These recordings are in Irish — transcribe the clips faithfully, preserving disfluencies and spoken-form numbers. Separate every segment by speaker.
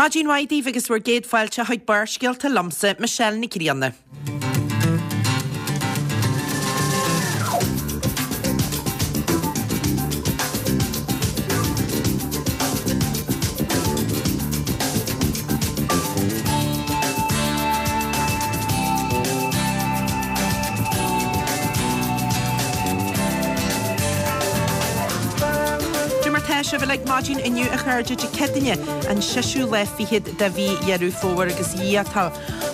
Speaker 1: Maidin mhaith daoibh agus bhur gcéad fáilte chuig Barrscéalta liomsa, Michelle Nic Grianna. Cad é mar tá sibh uilig maidin inniu a chairde Dé Céadaoine an seisiú lá fichead de mhí Dheireadh Fómhair agus Dhia tá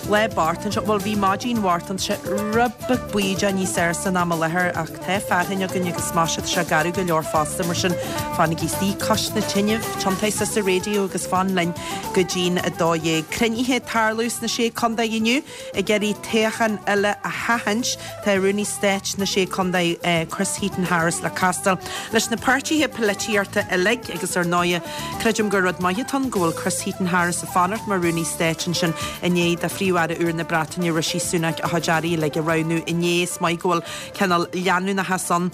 Speaker 1: lá bocht anseo bhuel bhí maidin bhocht anseo rud beag baoideach níos air san am i láthair ach tá fearthainn againn agus más ea tá sé garbh go leor fosta mar sin fanaigí istigh cois na tine, tiontaigh suas an raidió agus fan linn go dtí'n a dó dhéag. Cruinnithe ag tarlú sna Sé Contae inniu ag iarraidh toghchán eile a sheachaint. Tá Rúnaí Stáit na Sé Contae Chris Heaton-Harris le castáil leis na páirtithe polaitíochta uilig agus ar ndóigh creidim gur rud maith atá ann go bhfuil Chris Heaton-Harris ag fanacht mar Rúnaí Stáit ansin i ndiaidh do Phríomh-Aire úr na Breataine Rishi Sunak a chuid airí uilig a roghnú inné is maith go bhfuil cineál leanúnachas ann.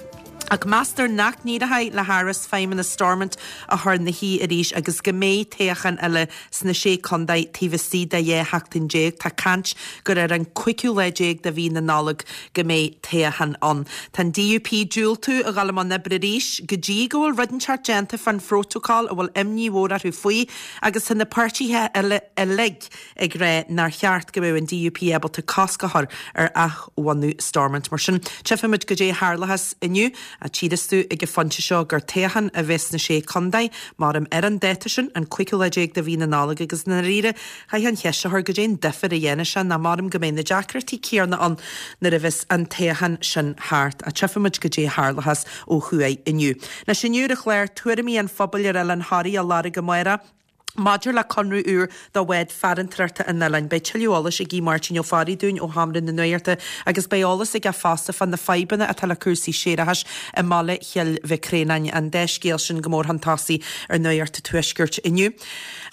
Speaker 1: Ach meastar nach n-éireoidh le Harris feidhmeannas Stormont a chur ina shuí arís agus go mbeidh toghchán eile sna sé contae taobh istigh de dhá sheachtain déag. Tá caint gur ar an cúigiú lá déag de mhí na Nollag go mbeidh toghchán ann. Tá an DUP ag diúltú a dhul i mbun oibre arís go dtí go bhfuil rud inteacht déanta fán phrótacal a bhfuil imní mhór orthu faoi agus tá na páirtithe eile uilig ag rá nár cheart go mbeadh an DUP ábalta cosc a chur ar athbhunú Stormont. Mar sin tchífimid goidé a tharlóchas inniu a tchífeas tú ag an phointe seo gur toghchán a bheas sna sé contae maram ar an dáta sin an cúigiú lá déag de mhí na Nollag agus i ndáiríre chaithfeá an cheist a chur goidé an difear a dhéanfaidh sé ná maram go mbeidh na deacrachtaí céanna ann nuair a bheas an toghchán sin thart a tchífimid goidé a tharlóchas ó thuaidh inniu. Anois inniu ar an chlár tuairimí an phobail ar Oileán Thoraí á lorg amárach. Maidir le conradh úr do bhád farantóireachta an oileáin, beidh tuilleadh eolais ag Aodh Máirtín Ó Fearraigh dúinn ó Sheomra na Nuachta agus beidh eolas aige fosta fá na fadhbanna atá le cúrsaí séarachais i mbaile Chill Mhic Réanáin, an dá scéal sin go mór chun tosaigh ar Nuacht an Tuaiscirt inniu.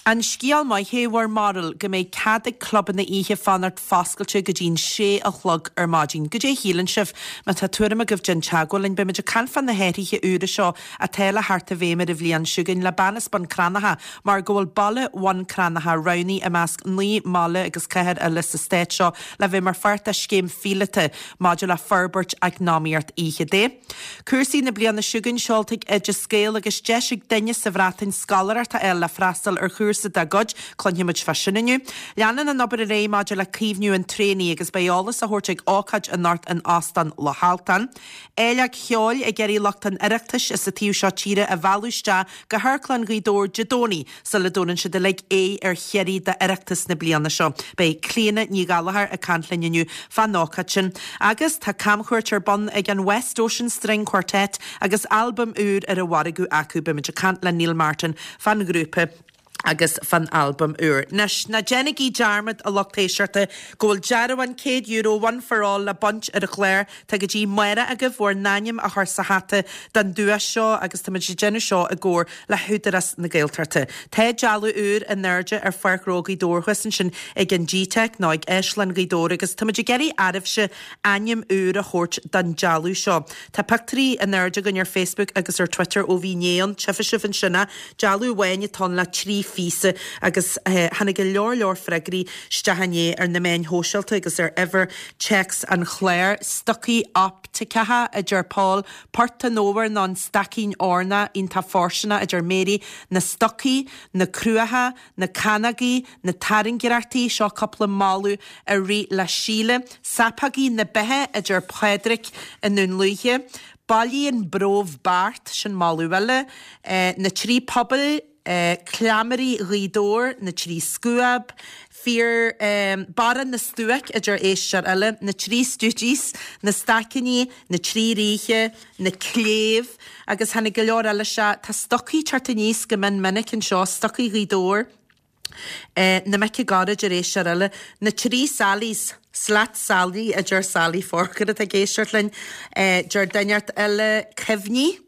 Speaker 1: An scéal maith é bhur mbarúil go mbeidh cead ag clubanna oíche fanacht foscailte go dtí'n sé a chlog ar maidin. Goidé a shíleann sibh má tá tuairim agaibh déan teagmháil linn beimid ag caint fá na hathruithe úra seo atá le theacht i bhfeidhm ar an bhliain seo chugainn le bean as Bun Cranncha mar go bhfuil baile Bhun Cranncha roghnaithe i measc naoi mbaile agus cathair eile sa stát seo le bheith mar pháirt de scéim phíolóta maidir le forbairt eacnamaíocht oíche de. Cúrsaí na bliana seo chugainn seolta ag Oideas Gael agus deis ag duine sa Bhreatain scoláireacht a fháil le freastal ar chúrsa dá gcuid, cluinfimid fá sin inniu. Leanann an obair ar aghaidh maidir le caomhnú an traonaigh agus beidh eolas á thabhairt ag ócáid anocht in Óstán Loch Altan. Áilleacht cheoil ag iarraidh lucht an Oireachtais as an taobh seo tíre a mhealladh isteach go hAmharclann Ghaoth Dobhair Dé Domhnaigh sula dtabharann siad uilig aghaidh ar Chiarraí d'Oireachtas na bliana seo. Beidh Clíona Ní Ghallchóir ag caint linn inniu fán ócáid sin. Agus tá camchuairt ar bun ag an West Ocean String Quartet agus albam úr ar an mhargadh acu beimid ag caint le Neil Martin fán ghrúpa agus fán albam úr. Anois ná déanaigí dearmad a lucht éisteachta go bhfuil dearbhán céad euro one for all le baint ar an chlár Tá go dtí amárach agaibh bhur n-ainm a chur sa hata don duais seo agus táimid ag déanamh seo i gcomhar le hÚdarás na Gaeltachta. Tá dealbh úr in airde ar Pháirc Ghnó Ghaoth Dobhair thuas ansin ag an G-Tech nó ag Áislann Ghaoth Dobhair agus táimid ag iarraidh oraibhse ainm úr a thabhairt don dealbh seo. Tá pictiúirí in airde againn ar Facebook agus ar Twitter ó bhí inné ann, tchífidh sibh ansin é, dealbh amháin atá ann le trí phíosa agus tháinig go leor leor freagraí isteach inné ar na meáin shóisialta agus ar uimhir téacs an chláir. Stocaí optaiceacha a deir Paul, Port an Fhómhair nó an Staicín Eorna iontach fóirsteanach a deir Mary, na stocaí, na cruacha, na canógaí, na tairngreachtaí, seo cúpla moladh a rith le Síle, Sapógaí na beatha a deir Pádraic i nDún Lúiche, Bailí an Brobh Beart, sin moladh eile, na trí pobail, Cleamairí Ghaoth Dobhair, na trí scuab, Fear Barra na Stuaic a deir éisteoir eile, na trí Stooges, na Staicíní, na trí Ríthe, na Cléibh agus tháinig go leor eile isteach. Tá stocaí ag teacht aníos go mion minic anseo, stocaí Ghaoth Dobhair, na mic i gcorr a deir éisteoir eile, na trí Sallys, Slat Sally a deir Sally Forker atá ag éisteacht linn, deir duine eile, cuimhní.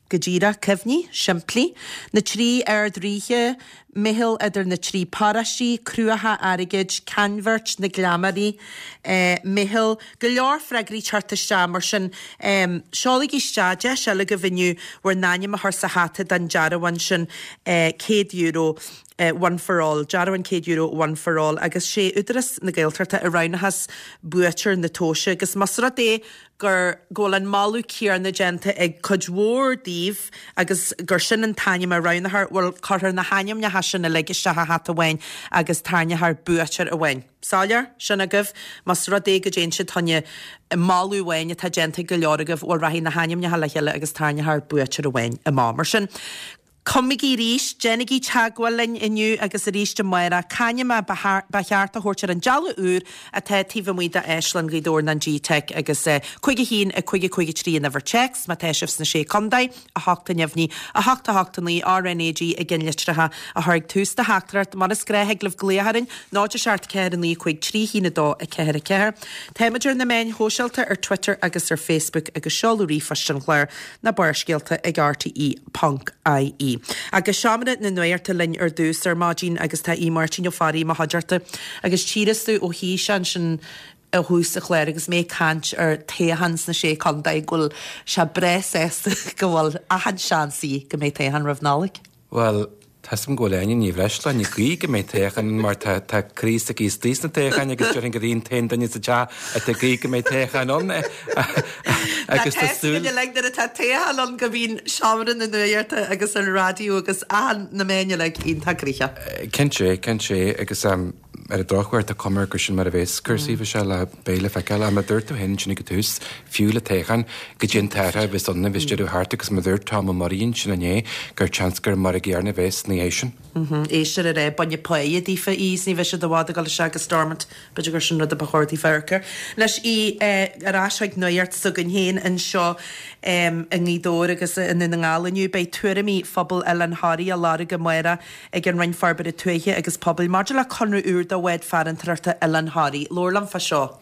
Speaker 1: Go díreach, cuimhní, simplí. Na trí Ard-Ríthe, Meitheal idir na trí paróistí, Cruacha Airgid, Ceannbheirt na Gleamairí, Meitheal, go leor freagraí teacht isteach mar sin seolaigí isteach deis eile agaibh inniu bhur n-ainm a chur sa hata don dearbhán sin céad euro one for all, dearbhán céad euro one for all agus sé Údarás na Gaeltachta a roghnóchas buaiteoir na tomhaise agus más rud é gur go bhfuil an moladh céanna déanta ag cuid mhór daoibh agus gur sin an t-ainm a roghnófar, bhuel cuirfear na hainmneacha sin uilig isteach i hata amháin agus tarraingeofar buaiteoir amháin. Soiléir? Sin agaibh. Más rud é go dtéann siad choinne moladh amháin atá déanta ag go leor agaibh, bhuel rachaidh na hainmneacha le chéile agus tarraingeofar buaiteoir amháin amach. Mar sin, Cumaigí arís, déanaigí teagmháil linn inniu agus arís amárach. C'ainm a ba cheart a thabhairt ar an dealbh úr atá taobh amuigh d'Áislann Ghaoth Dobhair nó an G-Teic agus cúig a haon, a cúig a cúig a trí an uimhir téacs má tá sibh sna Sé Contae, a hocht a neamhní, a hocht a hocht a naoi RnaG i gceannlitreacha a chur ag tús do theachtaireacht. Mar is gnách thig libh glaoch orainn, náid a seacht ceathair a naoi cúig trí haon a dó a ceathair a ceathair. Táimid ar na meáin shóisialta ar Twitter agus ar Facebook agus seoladh ríomhphoist an chláir ná Barrscéalta ag rte ponc ie. Agus seomra na nuachta linn ar dtús ar maidin agus tá Aodh Máirtín Ó Fearraigh i mo chuideachta agus tchíos tú ó thís ansin ó thús an chláir agus mé ag caint ar toghchán sna Sé Contae go bhfuil sé breá sásta go bhfuil achan seans í go mbeidh toghchán roimh Nollaig.
Speaker 2: Bhuel, tá 'fhios a'm go bhfuil Áine Ní Bhreisleáin ag guí go mbeidh toghchán mar tá tá croí s'aici istigh sna toghcháin agus déarfainn gur í an t-aon duine sa teach atá ag guí go mbeidh toghchán ann agus tá súil
Speaker 1: uilig nuair atá toghchán ann go mbíonn seomra na nuachta agus an raidió agus achan na meáin uilig iontach gnoitheach.
Speaker 2: Cinnte, cinnte agus ar an drochuair tá cuma gur sin mar a bheas cúrsaí bhí sé le beidh le feiceáil ach mar a dúirt tú féin ansin ag an tús, fiú le toghchán, goidé an t-athrú a bheas ann a bheas deireadh thart agus mar a dúirt Tom Ó Muirí ansin inné gur seans gur mar an gcéanna a bheas ina dhiaidh sin.
Speaker 1: Éistear ar é bainne páighe daofa í is ní bheidh siad i bhfad ag dul isteach go Stormont. B'fhéidir gur sin rud a ba chóir daofa amharc air. Anois í ar ais chuig nuacht s'againn féin anseo i nGaoth Dobhair agus i nDún na nGall inniu. Beidh tuairimí phobal Oileán Thoraí á lorg amárach ag an Roinn Forbartha Tuaithe agus Pobail maidir le conradh úr do bhád farantóireachta Oileán Thoraí. Labhair liom fá seo.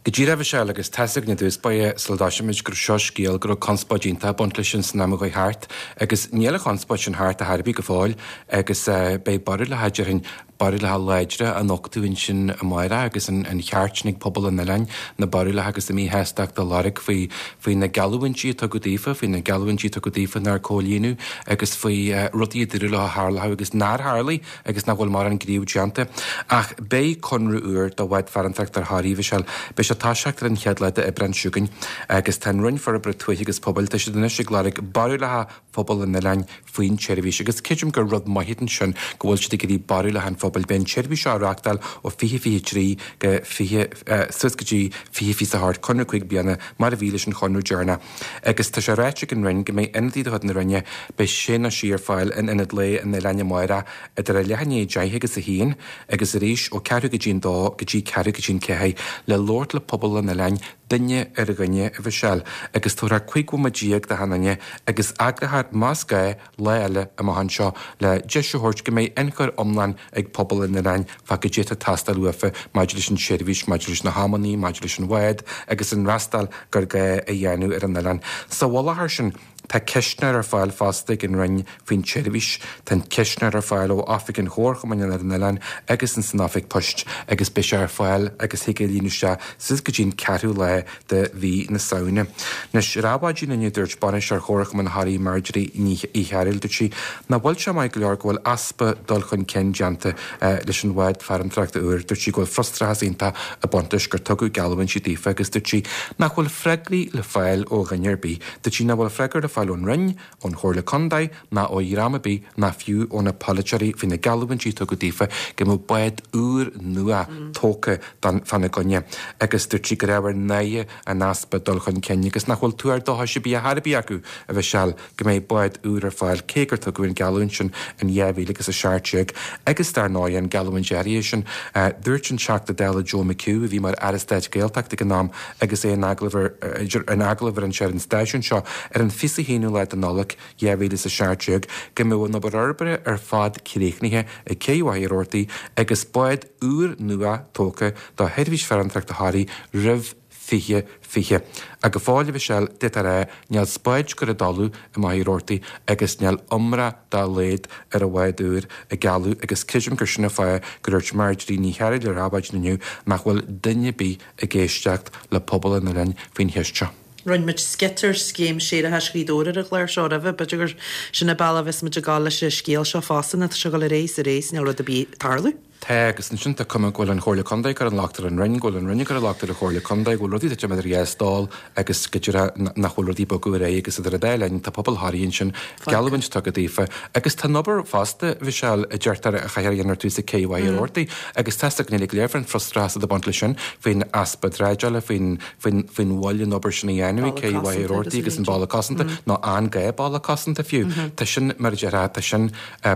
Speaker 2: Go díreach, a Mhichelle, agus tá's againn i dtús báire sula dtoisímid go raibh seo scéal go raibh conspóid iontach ag baint leis sin san am a chuaigh thart agus níl an chonspóid sin thart ar chor ar bith go fóill agus beidh barúlacha, déarfainn, barúlacha láidre á nochtadh ansin amárach agus an cheart sin ag pobal an oileáin na barúlacha agus a míshástacht a lorg faoi faoi na geallúintí a tugadh daofa, faoi na geallúintí a tugadh daofa nár comhlíonadh agus faoi rudaí a dúradh leo a tharlódh agus nár tharlaigh agus nach bhfuil mórán gníomh déanta. Ach beidh conradh úr do bhád farantóireachta ar Thoraí, a Mhichelle. Beidh sé ag toiseacht ar an chéad lá d'Aibreán seo chugainn agus tá an Roinn Forbartha Tuaithe agus Pobail, tá siad anois ag lorg barúlacha phobal an oileáin faoin tseirbhís agus creidim gur rud maith ansin go bhfuil siad ag iarraidh barúlacha an phobail. Beidh an tseirbhís seo á reáchtáil ó fiche fiche trí go fiche, suas go dtí fiche fiche a hocht, conradh cúig bliana mar a bhí leis an chonradh deireanach. Agus tá sé ráite ag an Roinn go mbeidh ionadaí de chuid na Roinne, beidh sé nó sí ar fáil in Ionad Lae an Oileáin amárach idir a leath i ndiaidh a deich agus a haon agus arís ó ceathrú go dtí an dó go dtí ceathrú go dtí an ceathair le labhairt le pobal an oileáin duine ar dhuine, a Mhichelle, agus tabharfar cúig bhomaite déag d'achan duine agus eagrófar, más gá, lá eile amach anseo le deis a thabhairt go mbeidh ionchur iomlán ag pobal an oileáin fá goidé atá ag teastáil uafa maidir leis an tseirbhís, maidir leis na hamannaí, maidir leis an bhád agus an fhreastal gur gá a dhéanamh ar an oileán. Sa mhullach air sin, tá ceistneoir ar fáil fosta ag an Roinn faoin tseirbhís. Tá an ceistneoir ar fáil ó oifig an Chomharchumainn ar an oileán agus ins an oifig poist agus beidh sé ar fáil agus thig é a líonadh isteach suas go dtí an ceathrú lá de mhí na Samhna. Anois, ar maidin inniu dúirt Bainisteoir Chomharchumann Thoraí Marjorie Ní Chearúil, dúirt sí nach bhfuil sé maith go leor go bhfuil easpa dul chun cinn déanta leis an bhád farantóireachta úr. Dúirt sí go bhfuil frustrachas iontach ag baint leis gur tugadh geallúintí daofa agus dúirt sí nach bhfuil freagraí le fáil ó dhuine ar bith. Dúirt sí nach bhfuil freagra le fáil ón Roinn, ón Chomhairle Contae ná ó dhream ar bith ná fiú ó na polaiteoirí faoi na geallúintí a tugadh daofa go mbeadh bád úr nua tógtha don fána gcoinne agus dúirt sí gur ábhar náire an easpa dul chun cinn agus nach bhfuil tuar dóchais ar bith ar chor ar bith acu, a Mhichelle, go mbeidh bád úr ar fáil cé gur tugadh an gheallúint sin in dhá mhíle agus a seacht déag agus dar ndóigh an gheallúint áirithe sin. Dúirt an Teachta Dála Joe McHugh, a bhí mar Aire Stáit Gaeltachta ag an am agus é in agallamh ar in agallamh ar an ar an stáisiún seo ar an fiche a haonú lá de Nollaig dhá mhíle is a seacht déag, go mbeadh an obair fhorbartha ar fad críochnaithe ag Cé Mhachaire Rabhartaigh agus bád úr nua tógtha do sheirbhís farantóireachta Thoraí roimh fiche fiche. Ach go fóill, a Mhichelle, d'fhéadfá a rá, níl spáid curtha i dtalamh i Machaire Rabhartaigh agus níl iomrá dá laghad ar an bhád úr ag gealladh agus creidim gur sin an fáth gur dhúirt Marjorie Ní Chearúil ar Adhmhaidin inniu nach bhfuil duine ar bith ag éisteacht le pobal an oileáin faoin cheist seo.
Speaker 1: Rinne muid sceits ar scéim séarachais Ghaoth Dobhair ar an chlár seo roimhe, b'fhéidir gur sin an bealach a bheas muid ag gabháil leis an scéal seo fosta, nó tá sé ag dul ar aghaidh is ar aghaidh is níl rud ar bith ag tarlú.
Speaker 2: Tá, agus ansin tá cuma go bhfuil an Chomhairle Contae ag cur an locht ar an Roinn, go bhfuil an Roinn ag cur an locht ar an Chomhairle Contae, go bhfuil rudaí ag titim idir dhá stól agus go deirtear nach bhfuil rudaí ag bogadh ar aghaidh agus idir an dá linn tá pobal Thoraí ansin, geallúint tugtha daofa. Agus tá an obair fosta, Mhichelle, a deirtear a chaithfear a dhéanamh ar tús ag Cé Mhachaire Rabhartaigh agus tá a fhios againn uilig go léir faoin frustrachas atá ag baint leis sin, faoin easpa drádála, faoin faoin faoin mhoill an obair sin a dhéanamh ag Cé Mhachaire Rabhartaigh agus an balla cosanta, nó an gá balla cosanta fiú. Tá sin, mar a déarfá, tá sin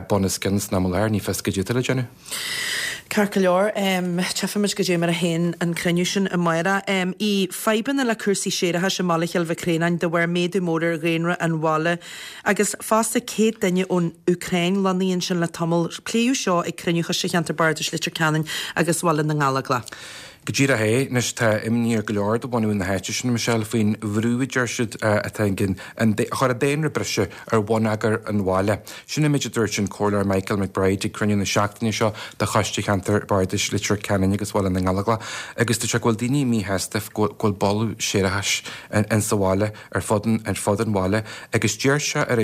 Speaker 2: bun os cionn san am i láthair, ní fios goidé atá le déanamh.
Speaker 1: Ceart go leor, tchífimid goidé mar a théann an cruinniú sin amárach. ii, Fadhbanna le cúrsaí séarachais i mbaile Chill Mhic Réanáin de bharr méadú mór ar dhaonra an bhaile agus fosta céad duine ón Úcráin lonnaithe ansin le tamall. Pléadh seo ag cruinniú Choiste Cheantar Bardais Leitir Ceanainn agus Bhaile na nGallóglach.
Speaker 2: Go díreach é. Anois tá imní ar go leor de bhunadh na háite sin, Michelle, faoin bhrú a deir siad atá ag an chur an daonra breise ar bhonneagar an bhaile. Sin an méid a dúirt an Comhairleoir Michael McBride ag cruinniú na seachtaine seo de Choiste Cheantar Bardais Leitir Ceanainn agus Bhaile na nGallóglach agus dúirt sé go bhfuil daoine míshásta go bhfuil boladh séarachais in sa bhaile ar fud ar fud an bhaile agus deir sé ar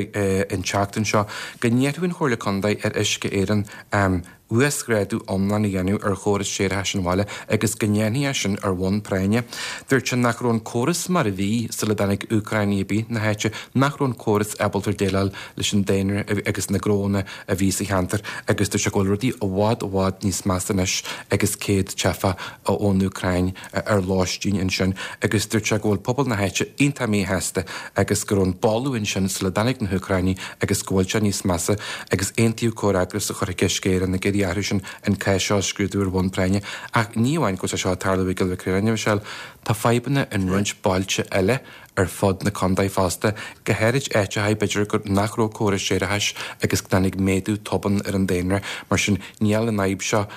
Speaker 2: an tseachtain seo go n-iarrfadh an Chomhairle Contae ar Uisce Éireann uasghrádú iomlán a dhéanamh ar chóras séarachais an bhaile agus go ndéanfaí é sin ar bhonn práinne. Dúirt sé nach raibh an córas mar a bhí sula dtáinig Úcránaigh ar bith na háite, nach raibh an córas ábalta déileáil leis an daonra agus na gnónna a bhí sa cheantar agus dúirt sé go bhfuil rudaí i bhfad i bhfad níos measa anois agus céad teifeach ón Úcráin ar lóistín ansin agus dúirt sé go bhfuil pobal na háite iontach míshásta agus go raibh an boladh ansin sula dtáinig na hÚcránaigh agus go bhfuil sé níos measa agus aontaíodh comhfhreagras a chur chuig Uisce Éireann ag iarraidh orthu sin an cás seo a scrúdú ar bhonn práinne. Ach ní amháin go bhfuil sé seo ag tarlú i gCill Mhic Réanáin, a Mhichelle, tá fadhbanna in roinnt bailte eile ar fud na contae fosta, go háirid áiteacha b'fhéidir gur nach raibh córas séarachais agus go dtáinig méadú tobann ar an daonra. Mar sin níl an fhadhb seo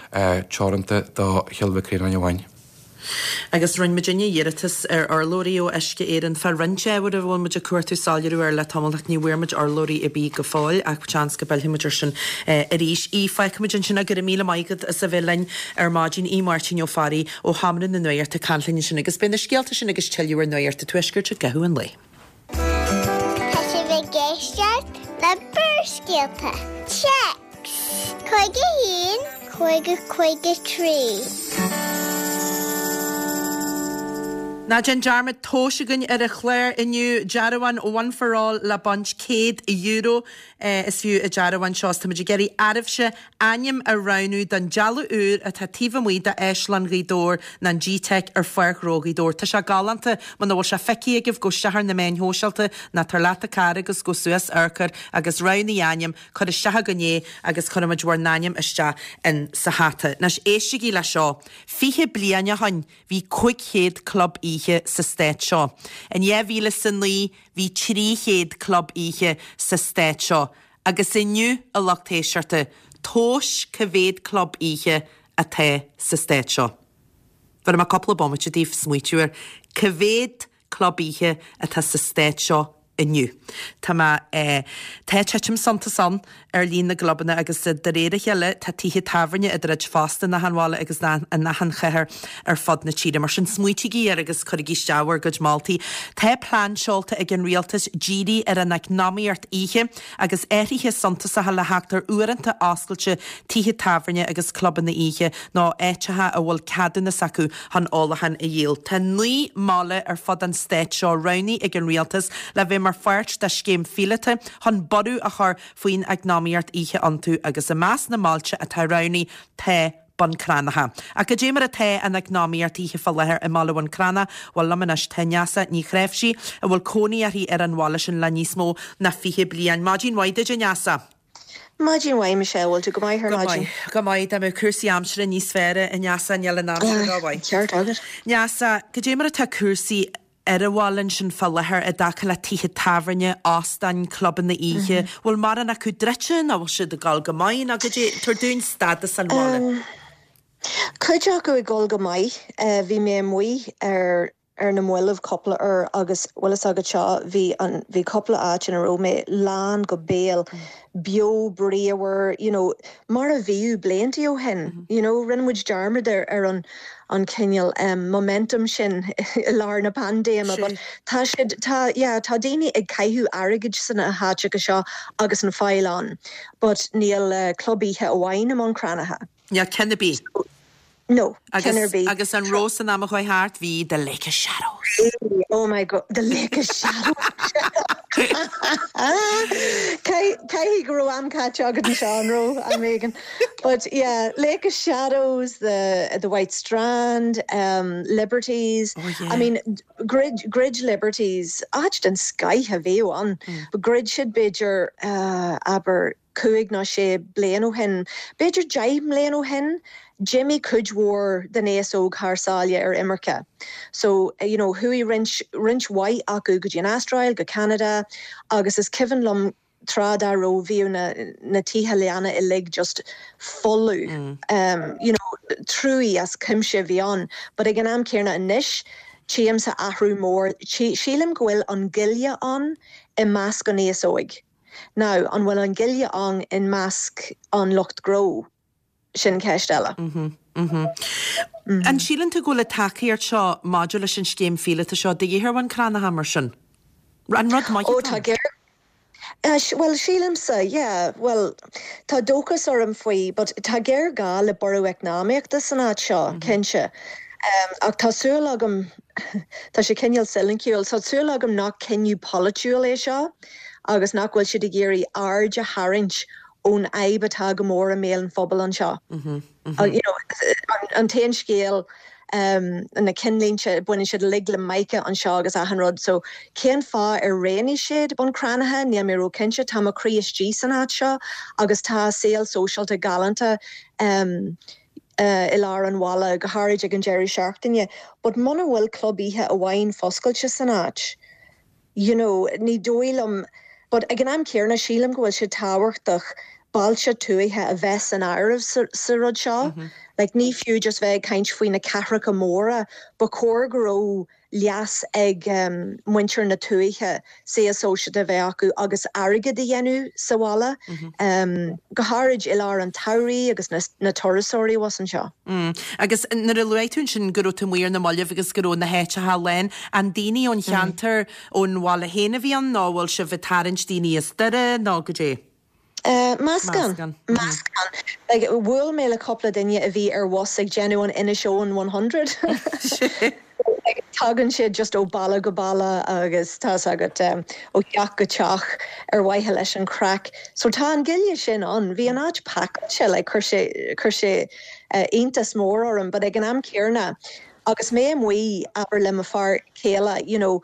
Speaker 2: teoranta do Chill Mhic Réanáin amháin.
Speaker 1: Agus rinne muidinne iarratas ar urlabhraí ó Uisce Éireann fá roinnt ábhar a bhfuil muid ag cuartú soiléiriú air le tamall ach ní bhfuair muid urlabhraí ar bith go fóill ach seans go bpillfidh muid air sin arís. Aodh, fágfaidh muid ansin é, go raibh míle maith agat as a bheith linn ar maidin. Aodh Máirtín Ó Fearraigh ó Sheomra na Nuachta ag caint linn ansin agus beidh na scéalta sin agus tuilleadh ar Nuacht an Tuaiscirt i gcaitheamh an lae.
Speaker 3: Tá sibh ag éisteacht le Barrscéalta. Téacs cúig a haon, cúig a cúig a trí.
Speaker 1: Ná déan dearmad tomhais againn ar an chlár inniu, dearbhán One for All le baint céad euro is fiú an dearbhán seo. Táimid ag iarraidh oraibhse ainm a roghnú don dealbh úr atá taobh amuigh d'Áislann Ghaoth Dobhair nó an G-Teic ar Pháirc Ghnó Ghaoth Dobhair. Tá sé galánta, muna bhfuil sé feicthe agaibh, gabh isteach ar na meáin shóisialta nó tabhair leat do chara agus gabh suas amharc air agus roghnaigh ainm, cuir isteach againn é agus cuirfimid bhur n-ainm isteach in sa hata. Anois éistigí le seo, fiche bliain ó shoin bhí cúig chéad club oíche sa stát seo. In dhá mhíle is a naoi bhí trí chéad club oíche sa stát seo. Agus inniu, a lucht éisteachta, tomhais cá mhéad club oíche atá sa stát seo. Bhéarfaidh mé cúpla bomaite daoibh smaoitiú air. Cá mhéad club oíche atá sa stát seo inniu? Tá mé, eh, tá titim suntas ann ar líon na gclubanna agus de réir a chéile tá tithe tábhairne ag druid fosta in achan bhaile agus in achan chathair ar fud na tíre. Mar sin smaoitígí air agus cuirigí isteach bhur gcuid moltaí. Tá plean seolta ag an rialtas díriú ar an eacnamaíocht oíche agus athruithe suntasacha le theacht ar uaireanta oscailte tithe tábhairne agus clubanna oíche nó áiteacha a bhfuil ceadúnas acu chun ólachán a dhíol. Tá naoi mbaile ar fud an stáit seo roghnaithe ag an rialtas le bheith mar pháirt de scéim phíolóta chun borradh a chur faoin eacnamaíocht oíche iontu agus i measc na mbailte atá roghnaithe tá Bun Cranncha. Ach cad é mar atá an eacnamaíocht oíche fá láthair i mbaile Bhun Cranncha? Bhuel liom anois tá Neasa Ní Chnáimhsí, a bhfuil cónaí uirthi ar an bhaile sin le níos mó ná fiche bliain. Maidin mhaith duit, a Neasa.
Speaker 4: Maidin mhaith, Michelle, bhfuil tú go maith ar
Speaker 1: Go
Speaker 4: maidin?
Speaker 1: maith, go maith. Dá mbeadh cúrsaí aimsire níos fearr, a Neasa, níl an aimsir rómhaith.
Speaker 4: Ceart agat.
Speaker 1: Neasa, cad é mar atá cúrsaí ar an bhaile ansin fá láthair i dtaca le tithe tábhairne, óstáin, clubanna oíche? Bhfuil mórán acu druidte nó bhfuil siad ag dul go maith nó cad é, tabhair dúinn stádas an bhaile.
Speaker 4: Cuid acu ag dul go maith. Bhí mé amuigh ar ar na mallaibh cúpla uair agus bhfuil fhios agat seo bhí an bhí cúpla áit ina raibh mé lán go béal beo bríomhar you know, mar a bhíodh blianta ó shin mm -hmm. you know, rinne muid dearmad ar ar an an cineál um, momentum sin i lár na paindéime but tá siad tá yeah, tá daoine ag caitheamh airgid sna háiteacha seo agus an fáil ann, but níl uh, club oíche amháin i mBun Cranncha.
Speaker 1: Ja ceann ar bith.
Speaker 4: So, No,
Speaker 1: agus, agus an raibh san am a chuaigh thart bhí the Lake of Shadows.
Speaker 4: Oh my God, the Lake of Shadows. Caithfidh go raibh am caite agat anseo an raibh an Megan. But yeah, Lake of Shadows, the the White Strand, um, Liberties.
Speaker 1: Oh, yeah.
Speaker 4: I mean, Grid Grid Liberties, áit den scoth a bhí ann.
Speaker 1: Mm.
Speaker 4: But dhruid siad b'fhéidir uh, abair cúig nó sé bliain ó shin. B'fhéidir deich mbliana ó shin, d'imigh cuid mhór den aos óg thar sáile ar imirce. So you know, chuaigh roinnt roinnt mhaith acu go dtí an Astráil go Canada agus is cuimhin liom tráth dá raibh bhí na, na tithe leanna uilig just folamh.
Speaker 1: Mm.
Speaker 4: Um, you know, trua as cuimse bhí ann, but ag an am céanna anois, tchímse athrú mór sílim go bhfuil an gile ann i measc an aos óig. Now an bhfuil an gile ann in measc an lucht gnó sin ceist eile.
Speaker 1: Mm -hmm, mm -hmm. Mm -hmm. An síleann tú go bhfuil tacaíocht seo maidir leis an scéim phíolótach seo de dhíth ar Bhun Cranncha mar sin. An rud maith
Speaker 4: Ó tá géar Uh, well sílimse yeah, well tá dóchas orm faoi, but tá géarghá le borradh eacnamaíochta san áit seo mm -hmm. cinnte. Um, ach tá súil agam tá sé cineál soiniciúil, tá súil agam nach cinneadh polaitiúil é seo, agus nach bhfuil siad ag iarraidh aird a tharraingt ón fhadhb atá go mór i mbéal an phobail anseo.
Speaker 1: Mm -hmm, mm
Speaker 4: -hmm. uh, you know, an, an t-aon scéal um, na cinnlínte baineann siad uilig le Mica anseo agus achan rud, so cén fáth ar roghnaigh siad Bun Cranncha níl mé róchinnte tá mo chroí istigh san áit seo agus tá saol sóisialta galánta um, uh, i lár an bhaile go háirid ag an deireadh seachtaine, but muna bhfuil club oíche amháin foscailte san áit. You know, ní dóigh liom, but ag an am céanna sílim go bhfuil sé tábhachtach bailte tuaithe a bheith san áireamh sa, sa rud seo.
Speaker 1: Mm -hmm.
Speaker 4: Like, ní fiú just bheith ag caint faoi na cathracha móra, ba chóir go raibh leas ag um, muintir na tuaithe saol sóisialta bheith acu agus airgead a dhéanamh sa bhaile
Speaker 1: mm -hmm.
Speaker 4: um, go háirid i lár an tsamhraidh agus na, na turasóirí was anseo.
Speaker 1: Mm. Agus nuair a luaigh tú sin go raibh tú amuigh ar na mallaibh agus go raibh na háiteacha lán an daoine ón cheantar ón bhaile féin a bhí ann nó bhfuil sibh ag tarraingt daoine as Doire nó go dtí.
Speaker 4: Uh, meascán
Speaker 1: Meascán.
Speaker 4: meascán like, bhuail mé le cúpla duine a bhí ar bhus ag déanamh an Inishowen one hundred. like, tagann siad just ó baile go baile agus tá agat um, ó theach go teach ar mhaithe leis an craic. So tá an gile sin ann, bhí an áit pacáilte le chuir sé chuir sé uh, iontas mór orm, but ag an am céanna agus mé amuigh abair le mo fear céile, you know,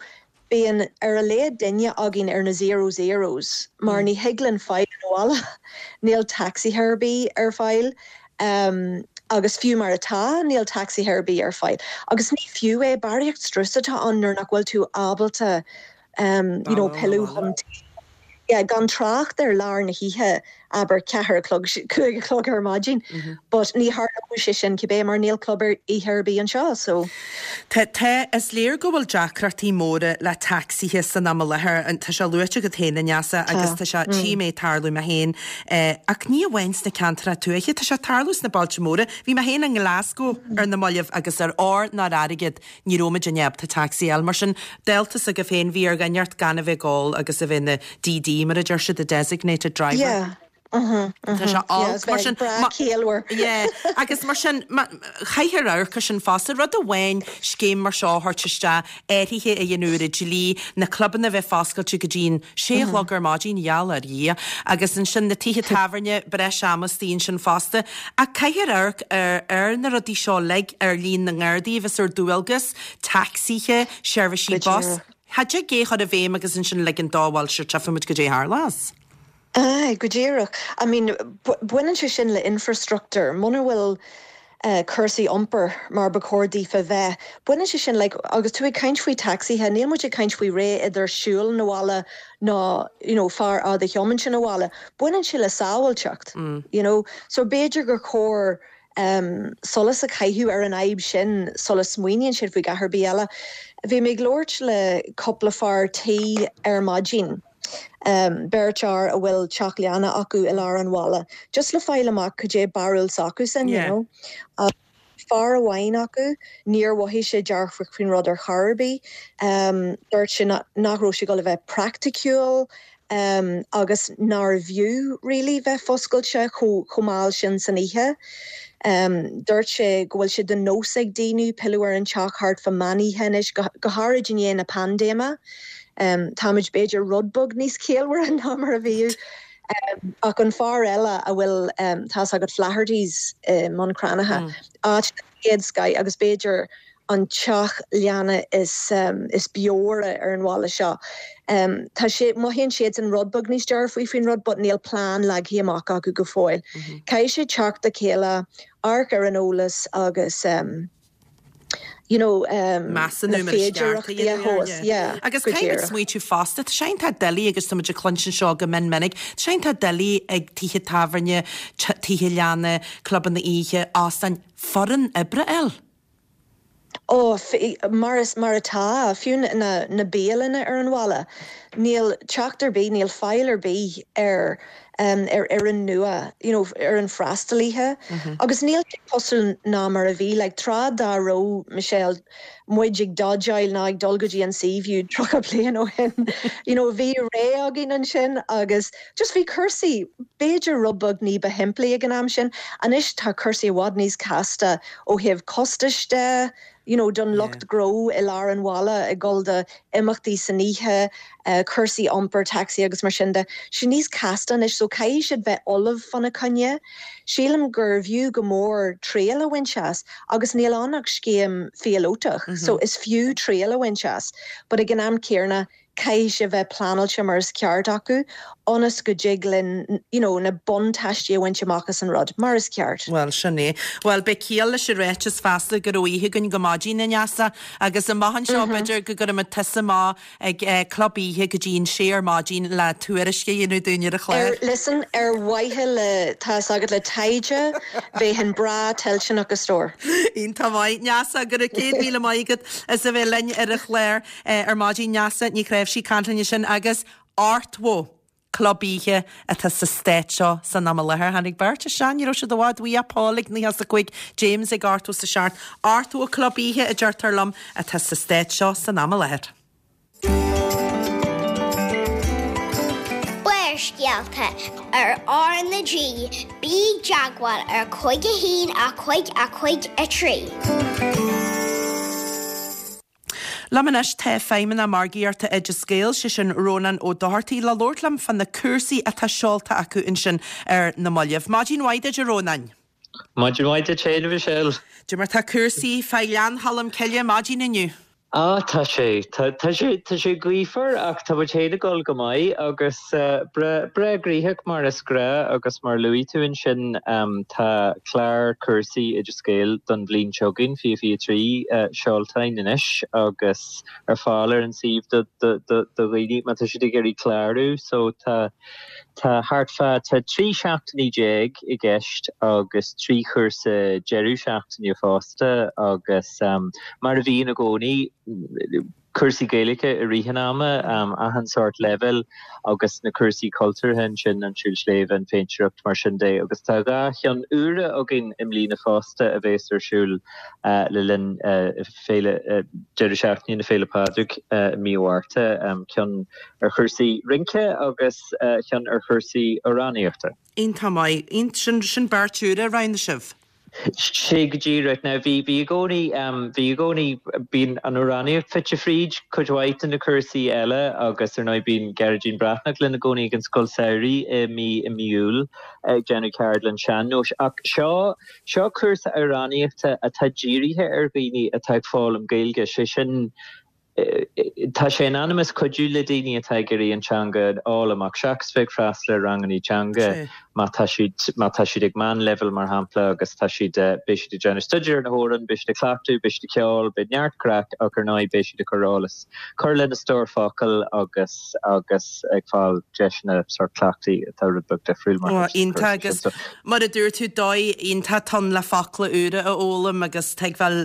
Speaker 4: bíonn ar a laghad duine againn ar na zero zeros, mar ní thig linn fáil abhaile níl taxi ar bith ar fáil. Um, agus fiú mar atá níl taxi ar bith ar fáil. Agus ní fiú é barraíocht strus atá ann nuair nach bhfuil tú ábalta um, you know, pilleadh chun tí. Yeah, gan trácht ar lár na hoíche abair ceathair a chlog cúig a chlog ar maidin,
Speaker 1: mm -hmm.
Speaker 4: but ní tharlódh sé sin cibé mar níl club oíche ar bith anseo so.
Speaker 1: Tá tá is léir go bhfuil deacrachtaí móra le tacsaithe san am i láthair an tá sé luaite agat féin Neasa agus tá sé tí mé tarlú mé féin ach ní amháin sna ceantracha tuaithe tá sé tarlú sna bailte móra, Bhí mé féin i nGlasgow ar na mallaibh agus ar ár nár airgead ní raibh muid ábalta taxi a fháil mar sin deltas go féin bhí ar gaineart gan a bheith gáil agus a bheith na DD mar a deir siad the designated driver.
Speaker 4: Yeah.
Speaker 1: Tá sé olc mar sin
Speaker 4: céalmhar.
Speaker 1: agus mar sin caithfear amharc sin fosta rud amháin scéim mar seo a thabhairt isteach athruithe a dhéanamh ar an dlí na clubanna bheith foscailte go dtí'n sé a chlog ar maidin gheall ar Dhia agus ansin na tithe tábhairne breis ama istigh ansin fosta ach caithfear amharc ar ar na rudaí seo uilig ar líon na nGardaí bheith ar dualgas tacsaithe seirbhísí bus Cha dtig é chur i bhfeidhm agus ansin ligean dó bhuel sure tchífimid goidé a tharlós.
Speaker 4: Aye, go díreach. I mean, baineann sé sin le infrastructure, muna bhfuil uh, cúrsaí iompair mar ba chóir daofa bheith. Baineann sé sin like, agus tú ag caint faoi tacsaithe, níl muid ag caint faoi ré idir siúl na bhaile ná you know, fear a thiomáint sin abhaile. Baineann sé le sábháilteacht, mm. you know? So b'fhéidir gur chóir um, solas a chaitheamh ar an fhadhb sin sula smaoiníonn siad faoi gach ar bith eile. Bhí mé ag labhairt le cúpla fear tí ar maidin. Um, beirt fhear a bhfuil teach leanna acu i lár an bhaile, just le fáil amach cad é barúil s'acusan
Speaker 1: Yeah.
Speaker 4: you know. Uh, fear amháin acu níor mhothaigh sé dearfach faoin rud ar chor ar bith. Um, dúirt sé nach raibh sé go le bheith praiticiúil um, agus nárbh fhiú really bheith foscailte chomh mall sin san oíche. Um, dúirt sé go bhfuil sé de nós ag daoine pilleadh ar an teach thart fá meán oíche anois go, go háirid i ndiaidh na paindéime. Um, Táimid b'fhéidir rud beag níos ciallmhaire ná mar a bhíodh. Um, ach an fear eile a bhfuil um, tá agat Flaherty's uh, Mbun Cranncha mm. áit céad sky agus b'fhéidir an teach leanna is um, is beomhaire ar an bhaile seo. Um, tá sé mothaíonn siad an rud beag níos dearfaí faoin rud, but níl plean leagtha amach acu go fóill. Mm -hmm. Caithfidh sé teacht le chéile amharc ar an eolas agus um, you know um,
Speaker 1: Measúnú
Speaker 4: na féidearthachtaí a thomhas, yeah,
Speaker 1: Agus
Speaker 4: go
Speaker 1: caithfidh
Speaker 4: díreach.
Speaker 1: smaoitiú fosta, Tá sé iontach doiligh agus tá muid ag cluinstin seo go mion minic, Tá sé iontach doiligh ag tithe tábhairne, tithe leanna, clubanna oíche, óstáin foireann oibre eile.
Speaker 4: Ó mar is mar atá fiú na, na bialanna ar an bhaile. Níl teacht ar bith níl fáil ar bith ar um, ar ar an nua you know, ar an freastalaithe. Mm -hmm. Agus níl sé cosúil ná mar a bhí le like, tráth dá raibh Michelle muid ag dodgeáil ná ag dul go dtí an Seaview tríocha bliain ó shin. you know, bhí ré againn ansin agus just bhí cúrsaí b'fhéidir rud beag ní ba shimplí ag an am sin, Anois tá cúrsaí i bhfad níos casta ó thaobh costais de, you know, don lucht gnó i lár an bhaile ag dul do imeachtaí san oíche, uh, cúrsaí iompar taxi agus mar sin de. Sé níos casta anois so caithfidh siad bheith ullamh fána choinne. Sílim gur bhfiú go mór triail a bhaint as agus níl ann ach scéim phíolótach, mm -hmm. so is fiú triail a bhaint as, but ag an am céanna caithfidh sé bheith pleanáilte mar is ceart acu, ionas go dtig linn you know, na buntáistí a bhaint amach as an rud mar is ceart.
Speaker 1: Well sin é. Well beidh ciall leis an ráiteas feasta go raibh oíche againn go maidin a Neasa agus amach anseo b'fhéidir go gcuirfimid tusa amach ag eh, club oíche go dtí an sé ar maidin le tuairisc a dhéanamh dúinn ar an chlár.
Speaker 4: Ar, listen ar mhaithe le tá agat le taighde bheinn breá toilteanach a stór.
Speaker 1: Iontach maith Neasa go raibh céad míle maith agat as a bheith linn ar an chlár eh, ar maidin Neasa Ní Chnáimhsí ag caint linn sin agus ochtó club oíche atá sa stát seo san am i láthair tháinig beirt sean raibh siad i bhfad uaidh Paul ag naocha a cúig James ag ochtó a seacht ochtó club oíche a deirtear liom atá sa stát seo san am i láthair.
Speaker 3: Barrscéalta ar R na G, bí i dteagmháil ar cúig a haon a cúig a cúig a trí.
Speaker 1: Liom anois tá feidhmeannach margaíochta Oideas Gael sé sin Rónán Ó Dochartaigh le labhairt liom fá na cúrsaí atá seolta acu ansin ar na mallaibh. Maidin mhaith duit a Rónáin.
Speaker 5: Maidin mhaith duit féin Michelle.
Speaker 1: Cad é mar tá cúrsaí fá Ghleann Cholm Cille maidin inniu.
Speaker 5: Á tá sé tá sé tá sé gaofar ach tá muid féin ag dul go maith agus breá gnoitheach mar is gnách agus mar luaigh tú ansin tá clár cúrsaí Oideas Gael don bhliain seo chugainn fiche fiche trí seolta anois agus ar fáil ar an suíomh do dhaoine má tá siad ag iarraidh clárú so tá tá thart fá tá trí seachtainí déag i gceist agus trí chúrsa deireadh seachtaine fosta agus um, mar a bhíonn i gcónaí cúrsaí Gaeilge i rith an ama um, achan sórt level agus na cúrsaí cultúrtha sin an siúl sléibhe an phéintéireacht mar sin de agus tá dhá cheann úra againn i mbliana fosta a bheas ar siúl uh, le linn uh, féile uh, deireadh seachtaine na Féile Pádraig uh, mí Mhárta um, ceann ar chúrsaí rince agus uh, ceann ar chúrsaí amhránaíochta.
Speaker 1: Iontach maith sin sin beirt úra roinn sibh.
Speaker 5: Sé go díreach now bhí bhí i gcónaí bhí i gcónaí bíonn an amhránaíocht fite fríd cuid mhaith de na cúrsaí eile agus ar ndóigh bíonn Gearóidín Breathnach linn i gcónaí ag an scoil samhraidh i mí i mí Iúil ag déanamh ceardlann sean-nóis ach seo seo cúrsa amhránaíochta atá dírithe ar dhaoine atá ag foghlaim Gaeilge sé sin Tá sé in ainm is cuidiú le daoine atá ag iarraidh an teanga a fhoghlaim ach seachas bheith ag freastal ar ranganna teanga má tá siad má tá siad ag meánleibhéal mar shampla agus tá siad beidh siad ag déanamh staidéar ar na hamhráin, beidh siad ag cleachtadh, beidh siad ag ceol, beidh neart craic ach ar ndóigh beidh siad ag cur eolas, cur lena stór focal agus agus ag fáil deiseanna sort cleachtaí atá rud beag difriúil mar
Speaker 1: Ó, iontach agus mar a dúirt tú dóigh iontach ann le focla úra a fhoghlaim agus tuigbheáil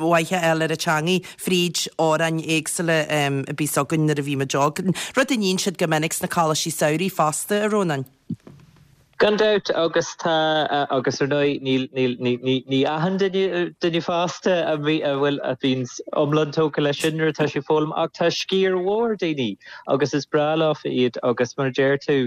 Speaker 1: mhaith a fháil ar an teangaidh fríd amhráin éagsúla a bhí againn nuair a bhí muid óg. Rud a níonn siad go minic sna coláistí samhraidh fosta a Rónáin.
Speaker 5: Gan dabht agus tá agus ar ndóigh níl níl ní ní ní achan duine duine fásta a bhí a bhfuil a bhíonn iomlán tógtha leis sin nuair atá sé foghlaim ach tá sciar mhór daoine agus is breá leofa iad agus mar a deir tú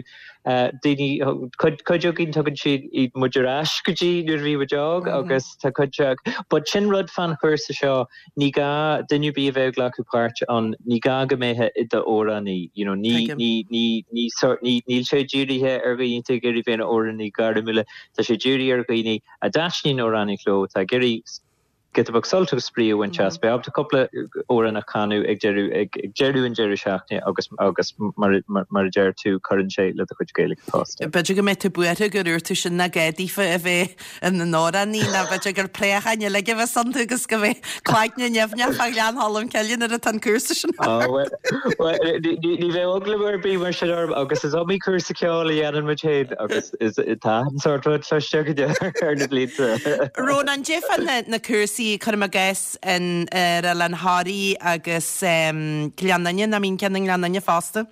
Speaker 5: daoine cuid cuid againn tugann siad iad muid ar ais go dtí nuair a bhí muid óg agus tá cuid but sin rud fán chúrsa seo ní gá duine ar bith a bheith ag glacadh páirt ann ní gá go mbeifeá i d'amhránaí you know ní ní ní ní sort ní níl sé dírithe ar dhaoine atá ag iarraidh bheith ina amhránaí gairmiúla tá sé dírithe ar dhaoine a dtaitníonn amhránaíocht leo atá ag iarraidh giota beag sult agus spraoi a bhaint as. Beidh ábalta cúpla amhrán a chanadh ag deireadh ag deireadh an deireadh seachtaine agus agus mar mar a deir tú cuireann sé le do chuid Gaeilge fosta.
Speaker 1: B'fhéidir go mbeidh tú buartha gur úirt tú sin nach gá daofa a bheith ina n-amhránaí nó b'fhéidir gur préacháin uilig a bheas iontu agus go mbeidh cloigne nimhneach fá Ghleann Cholm Cille nuair atá an cúrsa sin
Speaker 5: thart. Bhuel ní bheidh eagla ar bith mar sin orm agus is iomaí cúrsa ceoil a dhéanann muid féin agus is tá an sórt rud cloiste againne ar na blianta.
Speaker 1: Rónán, cad é fá na na cúrsaí cuirim i gcás in ar Oileán Thoraí agus Gleann Fhinne, nach mbíonn ceann i nGleann Fhinne fosta?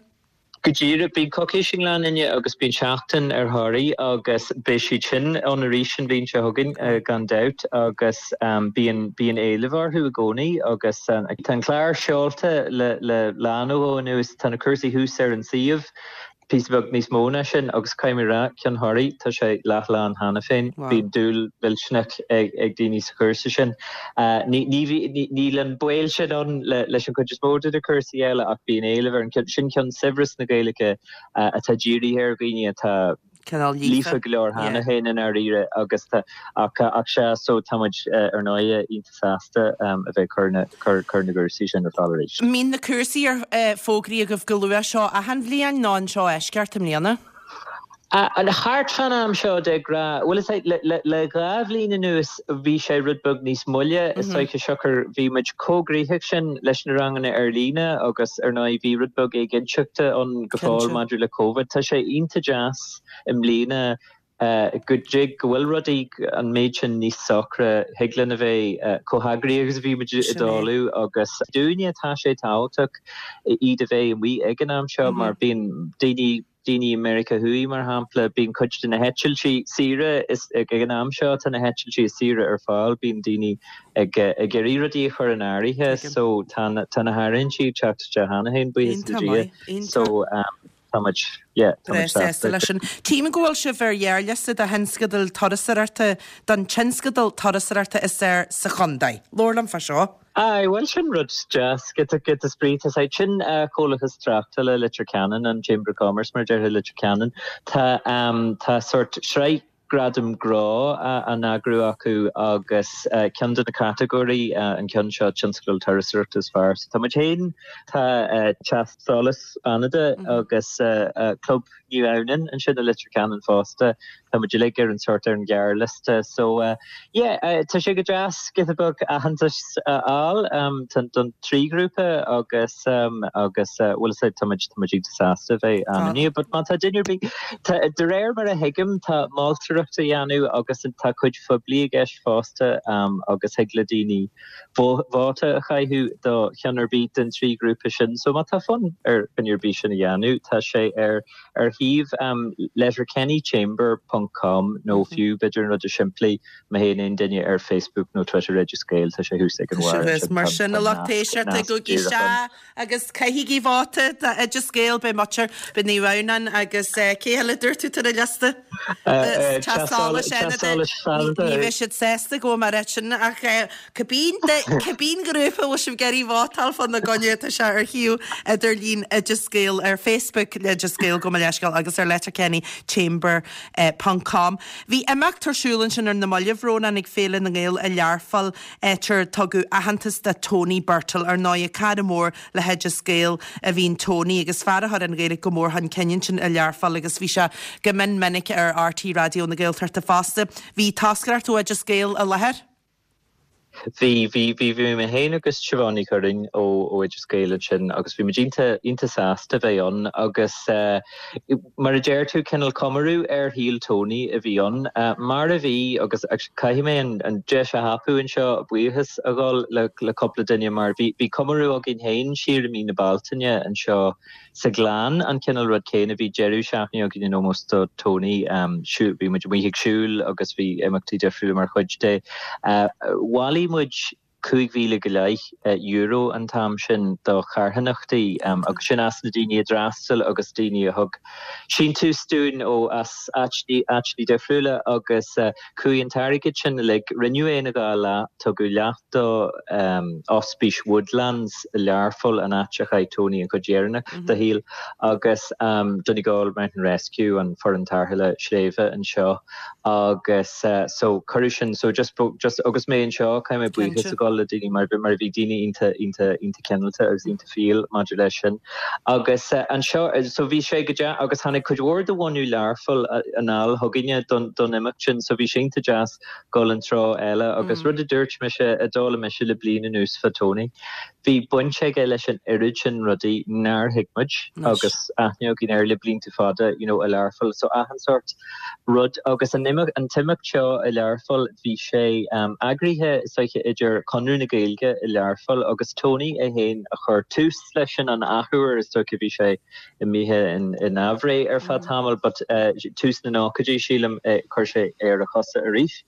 Speaker 5: Go díreach, bíonn coicís i nGleann Fhinne agus bíonn seachtain ar Thoraí agus beidh siad sin ann arís an bhliain seo chugainn gan dabht agus bíonn bíonn éileamh orthu i gcónaí agus tá an clár seolta le le lá nó dhó anuas, tá na cúrsaí thuas ar an suíomh. píosa beag níos mó ná sin agus caithfidh mé a rá, ceann Thoraí, tá sé leathlán cheana féin. Bíonn dúil mhillteanach ag ag daoine sa chúrsa sin. Ní ní bhí níl an baol sin ann le leis an chuid is mó de na cúrsaí eile ach bíonn éileamh ar an ceann sin ceann saibhreas na Gaeilge atá dírithe ar dhaoine atá
Speaker 1: cineál
Speaker 5: líofa
Speaker 1: líofa.
Speaker 5: go leor cheana
Speaker 1: Yeah.
Speaker 5: féin i ndáiríre agus tá ach ach sea so tá muid ar ndóigh iontach sásta a bheith ag cur na cur cur na gcúrsaí sin ar fáil arís.
Speaker 1: Mbíonn na cúrsaí ar fógraí agaibh go luath seo achan bhliain nó an seo eisceacht i mbliana?
Speaker 5: An thart fán am seo de ghnáth, bhuel is é le le le dhá bhliain anuas bhí sé rud beag níos moille is dóiche siocair bhí muid chomh gnoitheach sin leis na ranganna ar líne agus ar ndóigh bhí rud beag éiginnteachta ann go fóill
Speaker 1: Cinnte.
Speaker 5: maidir le Covid. Tá sé iontach deas i mbliana go dtig go bhfuil rudaí an méid sin níos socra thig linn a bheith chomh heagraithe agus a bhí muid i
Speaker 1: Sin é.
Speaker 5: dtosach agus dúinne tá sé tábhachtach iad a bheith amuigh ag an am seo mar bíonn daoine daoine i Meiriceá Thuaidh mar shampla bíonn cuid de na heitiltí saoire is ag an am seo tá na heitiltí saoire ar fáil bíonn daoine ag ag iarraidh rudaí a chur in áirithe
Speaker 1: Tuigim.
Speaker 5: so tá na tá na háirithintí ag teacht isteach cheana féin buíochas le
Speaker 1: Iontach
Speaker 5: Dia
Speaker 1: maith, iontach.
Speaker 5: so um, tá muid yeah, tá
Speaker 1: Breá
Speaker 5: muid
Speaker 1: sásta
Speaker 5: sásta.
Speaker 1: leis sin. Tím go bhfuil sibh ar ghearrliosta do thionscadal turasóireachta don tionscadal turasóireachta is fearr sa chontae. Labhair liom fá seo.
Speaker 5: Aye, well sin rud deas giota giota spraoi tá sé sin uh, Comhlachas Tráchtála Leitir Ceanainn an Chamber of Commerce mar deirtear Leitir Ceanainn tá um, tá sort sraith gradam grá uh, á n-eagrú acu agus uh, ceann de na catagóirí uh, an ceann seo tionscadal turasóireachta is fearr. So tá muid féin tá uh, Teach Solais Fhánada mm -hmm. agus uh, uh, Club Naomh Adhamhnáin ansin i Leitir Ceanainn fosta Tá muid uilig ar an sort ar an ghearrliosta so uh, yeah, uh, tá sé go deas giota beag aitheantas a fháil um, don trí grúpa agus um, agus uh, bhfuil sé tá muid tá muid sásta bheith
Speaker 1: Ah.
Speaker 5: an but má tá duine ar bith de réir mar a thuigim tá moltóireacht a dhéanamh agus tá cuid phoiblí i gceist fosta um, agus thig le daoine vóta a chaitheamh do cheann ar bith den trí grúpa sin, so má tá fonn ar dhuine ar bith sin a dhéanamh tá sé ar ar shuíomh um, letterkennychamber.com nó fiú b'fhéidir an rud is simplí má théann aon duine ar Facebook nó Twitter Oideas Gael tá sé thuas ag an bharr
Speaker 1: mar sin a lucht éisteachta gabhaigí isteach agus caithigí vóta Oideas Gael be muir be Naomh Adhamhnáin agus cé eile dúirt tú ar an liosta Ní bheidh siad sásta go mar sin ach cibé grúpa bhfuil sibh ag iarraidh vótáil fána choinne tá sé ar shuíomh idirlín Oideas Gael ar Facebook Oideas Gael go leiscail agus ar Letterkenny Chamber ponc com. Bhí imeacht ar siúl ansin ar na mallaibh Rónán ag Féile na nGael i Learpholl áit ar tugadh aitheantas do Tony Birtill ar ndóigh cara mór le hOideas Gael a bhí in Tony agus fear a chuir an Ghaeilge go mór chun cinn ansin i Learpholl agus bhí sé go mion minic ar RTÉ Raidió na Gaeltachta fosta. Bhí toscaireacht ó Oideas Gael i láthair?
Speaker 5: Bhí bhí bhí bhí mé féin agus Siobhán Ní Churraoin ó ó Oideas Gael ansin agus bhí muid iontach iontach sásta bheith ann agus uh, mar a deir tú cineál comóradh ar shaol Tony a bhí ann uh, mar a bhí agus caithfidh mé an, an deis a thapú anseo buíochas a ghabháil le, le cúpla duine mar bhí bhí comóradh againn féin siar i mí na Bealtaine anseo sa Ghleann an cineál rud céanna bhí deireadh seachtaine againn in ómós do Tony um, bhí muid amuigh ag siúl agus bhí imeachtaí difriúla mar chuid de. Uh, Bhailigh muid cúig mhíle go leith euro an t-am sin do charthanachtaí um, agus sin as na daoine a d'fhreastail agus daoine a thug síntiús dúinn ó as áiteanna difriúla agus uh, chuaigh an t-airgead sin le rinneadh é ina dhá leath tugadh leath do um, Ospís Woodlands Learpholl an áit a chaith Tony an chuid dheireanach mm -hmm. dá shaol agus um, Donegal Mountain Rescue an foireann tarrthála sléibhe anseo agus uh, so cuireadh sin so just just agus mé anseo caithfidh mé buíochas a ghabháil le daoine mar mar bhí daoine iontach iontach iontach cineálta agus iontach fial maidir leis sin agus uh, anseo so bhí sé go deas agus tháinig cuid mhór de bhunadh Learpholl anall chugainne don don imeacht sin so bhí sé iontach deas dul an treo eile agus mm. rud a dúirt mise a d'fhoghlaim mise le bliain anuas fá Tony. Bhí baint aige leis an oiread sin rudaí nár thuig muid agus aithne againn air le blianta fada you know, i Learpholl so achan sórt rud agus an an t-imeacht seo i Learpholl bhí sé um, eagraithe soiche idir Conradh na Gaeilge i Learpholl agus Tony é féin a chuir tús leis sin an athuair is dócha bhí sé imithe in, in aimhréidh ar feadh mm. tamaill, but uh, tús na nóchaidí sílim uh, chuir sé ar a chosa arís.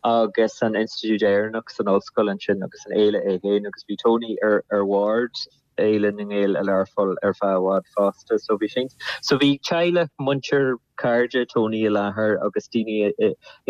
Speaker 5: agus an Institiúid Éireannach san ollscoil ansin agus an fhéile é féin agus bhí Tony ar ar bhord Fhéile na nGael i Learpholl ar feadh i bhfad fosta so bhí sin so bhí teaghlach muintir cairde Tony i láthair agus daoine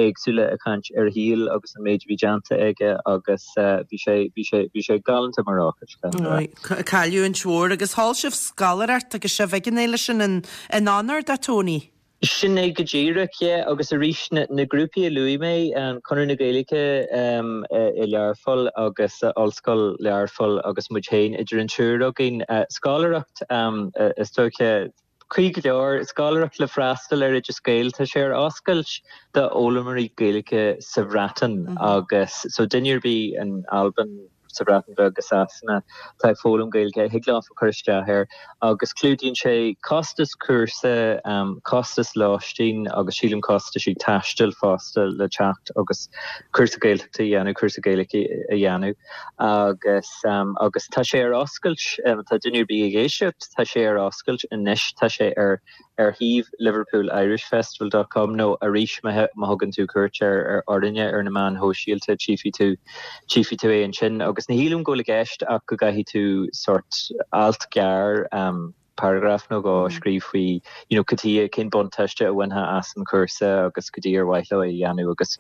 Speaker 5: éagsúla ag caint ar a shaol agus an méid a bhí déanta aige agus bhí sé bhí sé bhí sé galánta mar ócáid.
Speaker 1: Cailliúint mhór agus sheol sibh scoláireacht agus sibh ag an fhéile sin in in onóir do Tony.
Speaker 5: Sin é go díreach yeah, agus arís na, na grúpaí a luaigh mé um, Conradh na Gaeilge um, i Learpholl agus uh, Ollscoil Learpholl agus muid féin idir an triúr againn uh, scoláireacht um, uh, is dócha cuí go leor scoláireacht le freastal ar Oideas Gael tá sé ar oscailt d'fhoghlaimeoirí Gaeilge sa Bhreatain mm -hmm. agus so duine ar bith in Albain sa Bhreatain Bheag agus Sasana tá ag foghlaim Gaeilge thig leo cur isteach air agus clúdaíonn sé costas cúrsa um, costas lóistín agus sílim costas taistil fosta le teacht agus cúrsa Gaeltachta a dhéanamh cúrsa Gaeilge a dhéanamh agus um, agus tá sé ar oscailt um, tá duine ar bith ag éisteacht tá sé ar oscailt anois tá sé ar ar shuíomh Liverpool Irish Festival dot com nó arís má thugann tú cuairt ar ar orainne ar na meáin shóisialta tchífidh tú tchífidh tú é ansin agus ní shílim go bhfuil i gceist ach go gcaithfidh tú sórt alt gearr um, paragraf nó dhó a scríobh faoi you know, cad chuige cén buntáiste a bhainfeá as an chúrsa agus cad chuige ar mhaith leo é a dhéanamh agus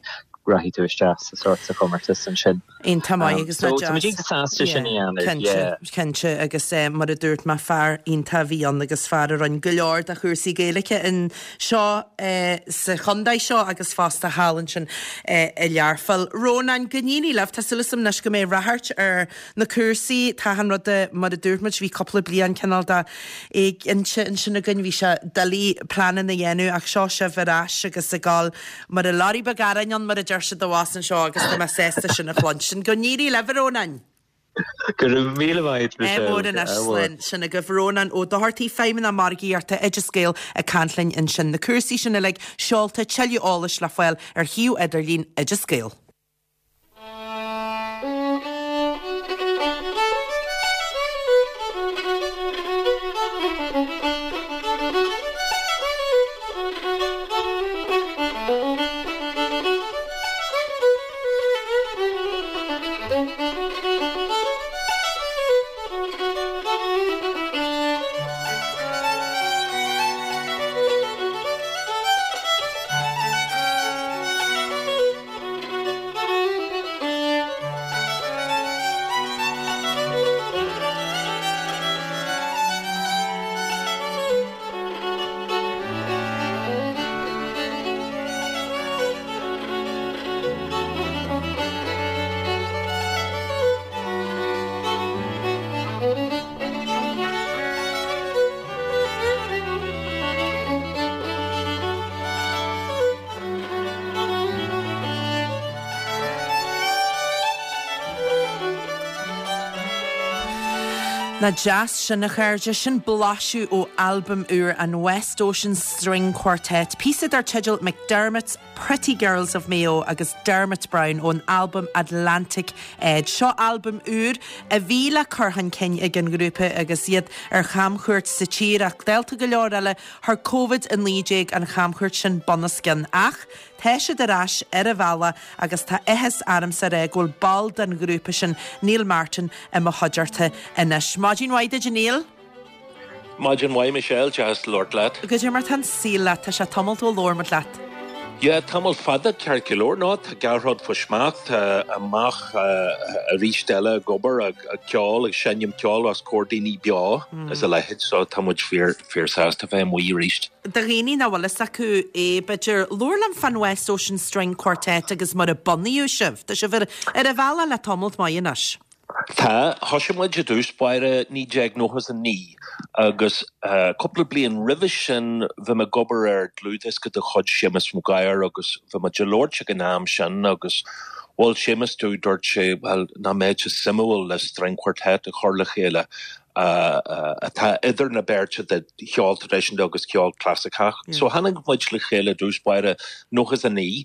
Speaker 5: rachaidh tú isteach sa sórt sa chomórtas ansin.
Speaker 1: Iontach maith agus
Speaker 5: So tá muid iontach sásta sin a dhéanamh,
Speaker 1: Cinnte,
Speaker 5: yeah.
Speaker 1: cinnte agus eh, mar a dúirt mé fear iontach a bhí ann agus fear a rinne go leor de chúrsaí Gaeilge anseo eh, sa chontae seo agus fosta thall ansin eh, i Learpholl. Rónán, go n-éirí libh, tá súil agam anois go mbeidh ráchairt ar na cúrsaí, tá an rud eh, mar a dúirt muid bhí cúpla bliain cineál de éiginnte ansin againn, bhí sé doiligh pleananna a dhéanamh ach seo sibh ar ais agus ag gabháil mar a lorry beag aráin ann mar a deir siad abhus anseo agus tá mé sásta sin a chluinstin. Go n-éirí libh a Rónáin!
Speaker 5: Go raibh míle maith
Speaker 1: Ádh mór anois slán sin agaibh Rónán Ó Dochartaigh Feidhmeannach Margaíochta Oideas Gael ag caint linn ansin. Na cúrsaí sin uilig seolta tuilleadh eolais le fáil ar shuíomh idirlín Oideas Gael. Nach deas sin a chairde sin blaiseadh ó albam úr an West Ocean String Quartet, píosa dar teideal McDermott's Pretty Girls of Mayo agus Dermot Browne ón albam Atlantic Edge. Seo albam úr a bhí le cur chun cinn ag an ngrúpa agus iad ar chamchuairt sa tír ach dálta go leor eile chuir Covid a naoi déag an chamchuairt sin bunoscionn ach tá siad ar ais ar an bhealach agus tá áthas ormsa a rá go bhfuil ball den ghrúpa sin Neil Martin i mo chuideachta anois. Maidin mhaith duit Neil?
Speaker 6: Maidin mhaith Michelle deas labhairt leat.
Speaker 1: Goidé mar tá an saol leat tá sé tamall ó labhair muid leat.
Speaker 6: Yeah, tamall fada ceart go leor ná tá gach rud faoi smacht amach arís eile ag obair ag ceol ag seinm ceoil os comhair daoine beo is a leithéid so tá muid fíor fíor sásta bheith amuigh arís.
Speaker 1: Do dhaoine nach bhfuil fhios acu é b'fhéidir labhair liom fan West Ocean String Quartet agus mar a bunaíodh sibh, Tá sibh ar ar an bhealach le tamall maith anois.
Speaker 6: Tá thosaigh muid i dtús báire naoi déag nócha a naoi agus cúpla bliain roimhe sin bhí mé ag obair ar dlúthdhiosca de chuid Séamus Maguire agus bhí muid ag labhairt ag an am sin agus mhol Séamus domh dúirt sé well nach mbeadh sé suimiúil le string quartet a chur le chéile atá idir na beirte de cheol traidisiúnta agus ceol clasaiceach. So tháinig muid le chéile i dtús báire nócha a naoi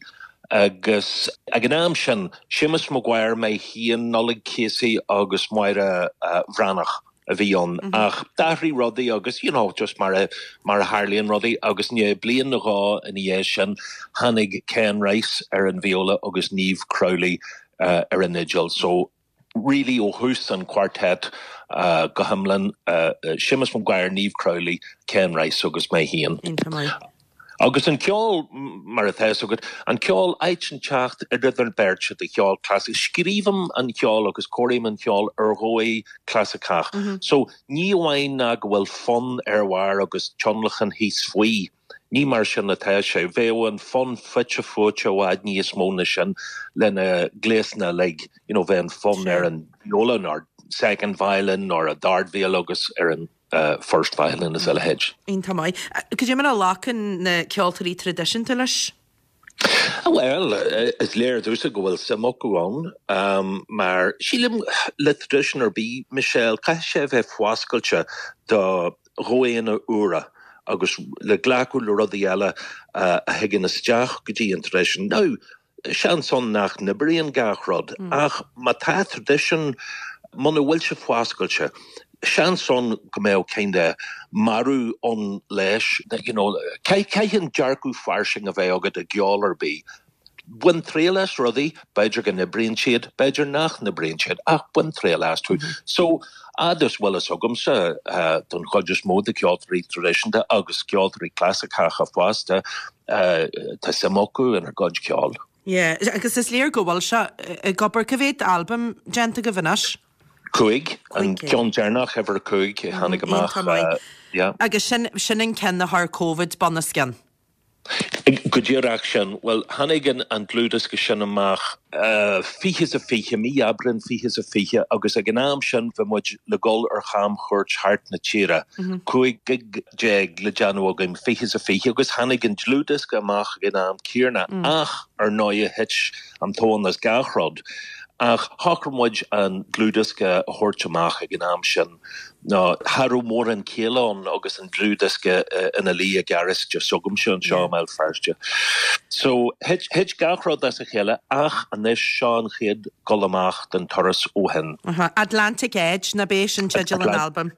Speaker 6: agus ag an am sin Séamus Maguire mé féin Nollaig Casey agus Máire Bhreathnach a bhí ann ach d'athraigh rudaí agus you know just mar a mar a tharlaíonn rudaí agus ní bliain nó dhó ina dhiaidh sin tháinig Ken Rice ar an viola agus Niamh Crowley uh, ar an fhidil so really ó thús an quartet uh, go hiomlán uh, Séamus Maguire Niamh Crowley Ken Rice agus mé féin. Agus an ceol mar atá agat an ceol áit inteacht idir an beirt de cheol clasaiceach. Scríobhaim an ceol agus cóirím an ceol ar dhóigh clasaiceach. Mm -hmm. So ní amháin ná go bhfuil fonn ar bharr agus tionlacan thíos faoi. Ní mar sin atá sé bheadh an fonn fite fuaite i bhfad níos mó ná sin lena gléasanna like, you know, bheith an fonn ar an viola or second violin or a dardviola agus ar an uh, first violin is a leithéid.
Speaker 1: Iontach maith. Goidé mar a ghlacann na ceoltóirí traidisiúnta leis?
Speaker 6: Well, is léir domhsa go bhfuil suim acu ann um, mar sílim le traidisiún ar bith Michelle caithfidh sé bheith fuascailte do dhóigheanna úra agus le glacadh le rudaí eile uh, a thagann isteach go dtí an traidisiún. Now, seans ann nach n-oibríonn gach rud mm. ach má tá traidisiún muna bhfuil sé fuascailte. Seans ann go mbeadh kind of marú ann leis you know, Caithfidh dearcadh fairsing a bheith agat i gceol ar bith. Bain triail as rudaí, b'fhéidir go n-oibríonn siad, b'fhéidir nach n-oibríonn siad ach bain triail astu. Mm -hmm. So agus bhfuil fhios agamsa uh, don chuid is mó de ceoltóirí traidisiúnta agus ceoltóirí clasaiceacha fosta uh, tá suim acu inár gcuid ceoil.
Speaker 1: Yeah, agus is léir go bhfuil sé ag obair cá mhéad albam déanta agaibh anois?
Speaker 6: Cúig an ceann deireanach uimhir cúig tháinig amach.
Speaker 1: Uh, agus sin sin an ceann a chuir Covid bunoscionn.
Speaker 6: Go díreach sin, well tháinig an an dlúthdhiosca sin amach uh, fiche is a fiche mí Aibreán fiche is a fiche agus ag an am sin bhí muid le dul ar chamchuairt thart na tíre. Mm -hmm. Cúig gig déag le déanamh againn fiche is a fiche agus tháinig an dlúthdhiosca amach ag an am céanna mm. ach ar ndóigh thit an tóin as gach rud. Ach shocraigh muid an dlúthdhiosca a thabhairt amach ag an am sin ná cha raibh mórán céille ann agus an dlúthdhiosca ina luí i ngaráiste s'agamsa anseo i mBéal Feirste. So thit thit gach rud as a chéile ach anois seo an chéad dul amach den turas ó shin.
Speaker 1: Atlantic Edge na bé sin teideal an albam.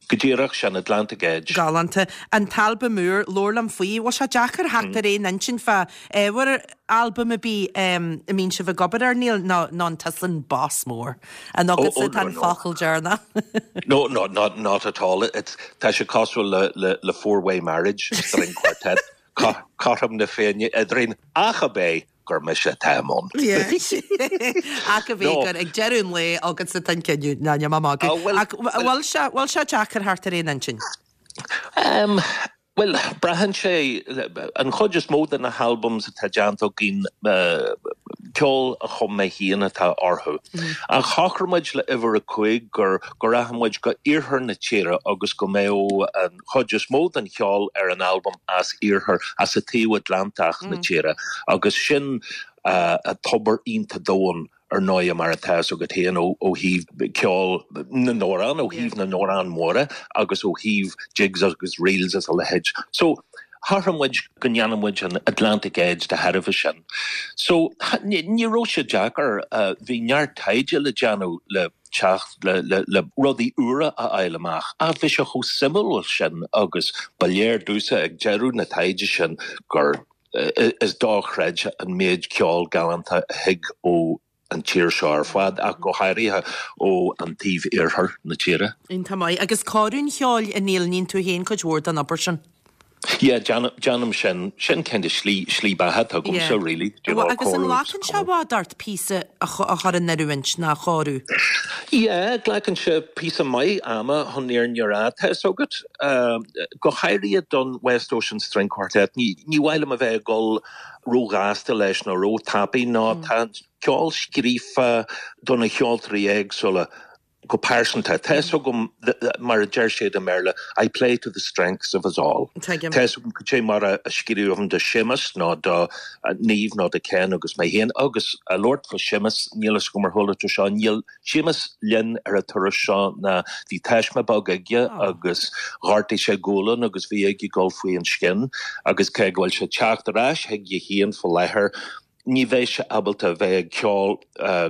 Speaker 6: Go díreach sin Atlantic Edge.
Speaker 1: Galánta an t-albam úr labhair liom faoi, bhfuil sé deacair theacht ar aon intinn fá ábhar albam a bí a mbíonn sibh ag obair air Neil ná ná tusa an boss mór. An agatsa tá an focal deireanach.
Speaker 6: No, no, not, not at all. It's tá sé cosúil le, le, le four-way marriage string quartet. Cothrom na Féinne eadrainn ach a bé gur mise atá ann.
Speaker 1: Ach a bhí gur ag deireadh an lae agatsa atá an cinneadh ná ní má Ach bhfuil sé bhfuil sé deacair theacht ar aon intinn?
Speaker 6: Um, Well, braitheann sé an chuid is mó de na halbums atá déanta againn uh, ceol a chum mé féin atá orthu. Mm. Ach shocraigh muid le uimhir a cúig gur go rachadh muid go iarthar na tíre agus go mbeadh an chuid is mó den cheol ar an album as iarthar as a taobh Atlantach mm. na tíre agus sin uh, a tobar iontach domhain ar ndóigh mar atá fhios agat féin ó thaobh ceol na n-amhrán, ó thaobh na n-amhrán móra agus ó thaobh jigs agus reels is a leithéid. So, shocraigh muid go ndéanfaidh muid an Atlantic Edge de thairbhe sin. So, ní raibh sé deacair, bhí neart taighde le déanamh le teacht le le rudaí úra a fháil amach ach bhí sé chomh suimiúil sin agus ba léir domhsa ag deireadh na taighde sin gur is dochreidte an méid ceol galánta a thig ó an tír seo ar fad ach go háirithe ó an taobh iarthar na tíre.
Speaker 1: Iontach maith. Agus cóiriú an cheoil, a Neil, níonn tú féin cuid mhór den obair sin?
Speaker 6: Yeah, déanaim sin. Sin kind of slí, slí beatha atá agamsa, really. Do you know,
Speaker 1: Agus an nglacann sé i bhfad ort píosa a chur in oiriúint ná a chóiriú?
Speaker 6: Yeah, glacann sé píosa maith ama chun an fhírinne a rá, tá fhios agat. Go háirithe don West Ocean String Quartet, ní, ní mhaith liom a bheith ag dul róghasta leis nó róthapaidh nó tá an ceol scríofa do na ceoltóirí éagsúla go pearsanta. Tá fhios agam, mar a deir siad i mBéarla, I play to the strengths of us all. Tá fhios agam cad é mar a scríobhaim do Séamus nó do Niamh nó do Ken agus mé féin. Agus ag labhairt fá Séamus, níl fhios agam ar chuala tú seo, níl Séamus linn ar an turas seo ná bhí taisme beag aige agus ghortaigh sé gualainn agus bhí aige dul faoi an scian agus cé go bhfuil sé ag teacht ar ais chuige féin faoi láthair, ní bheidh sé ábalta a bheith ag ceol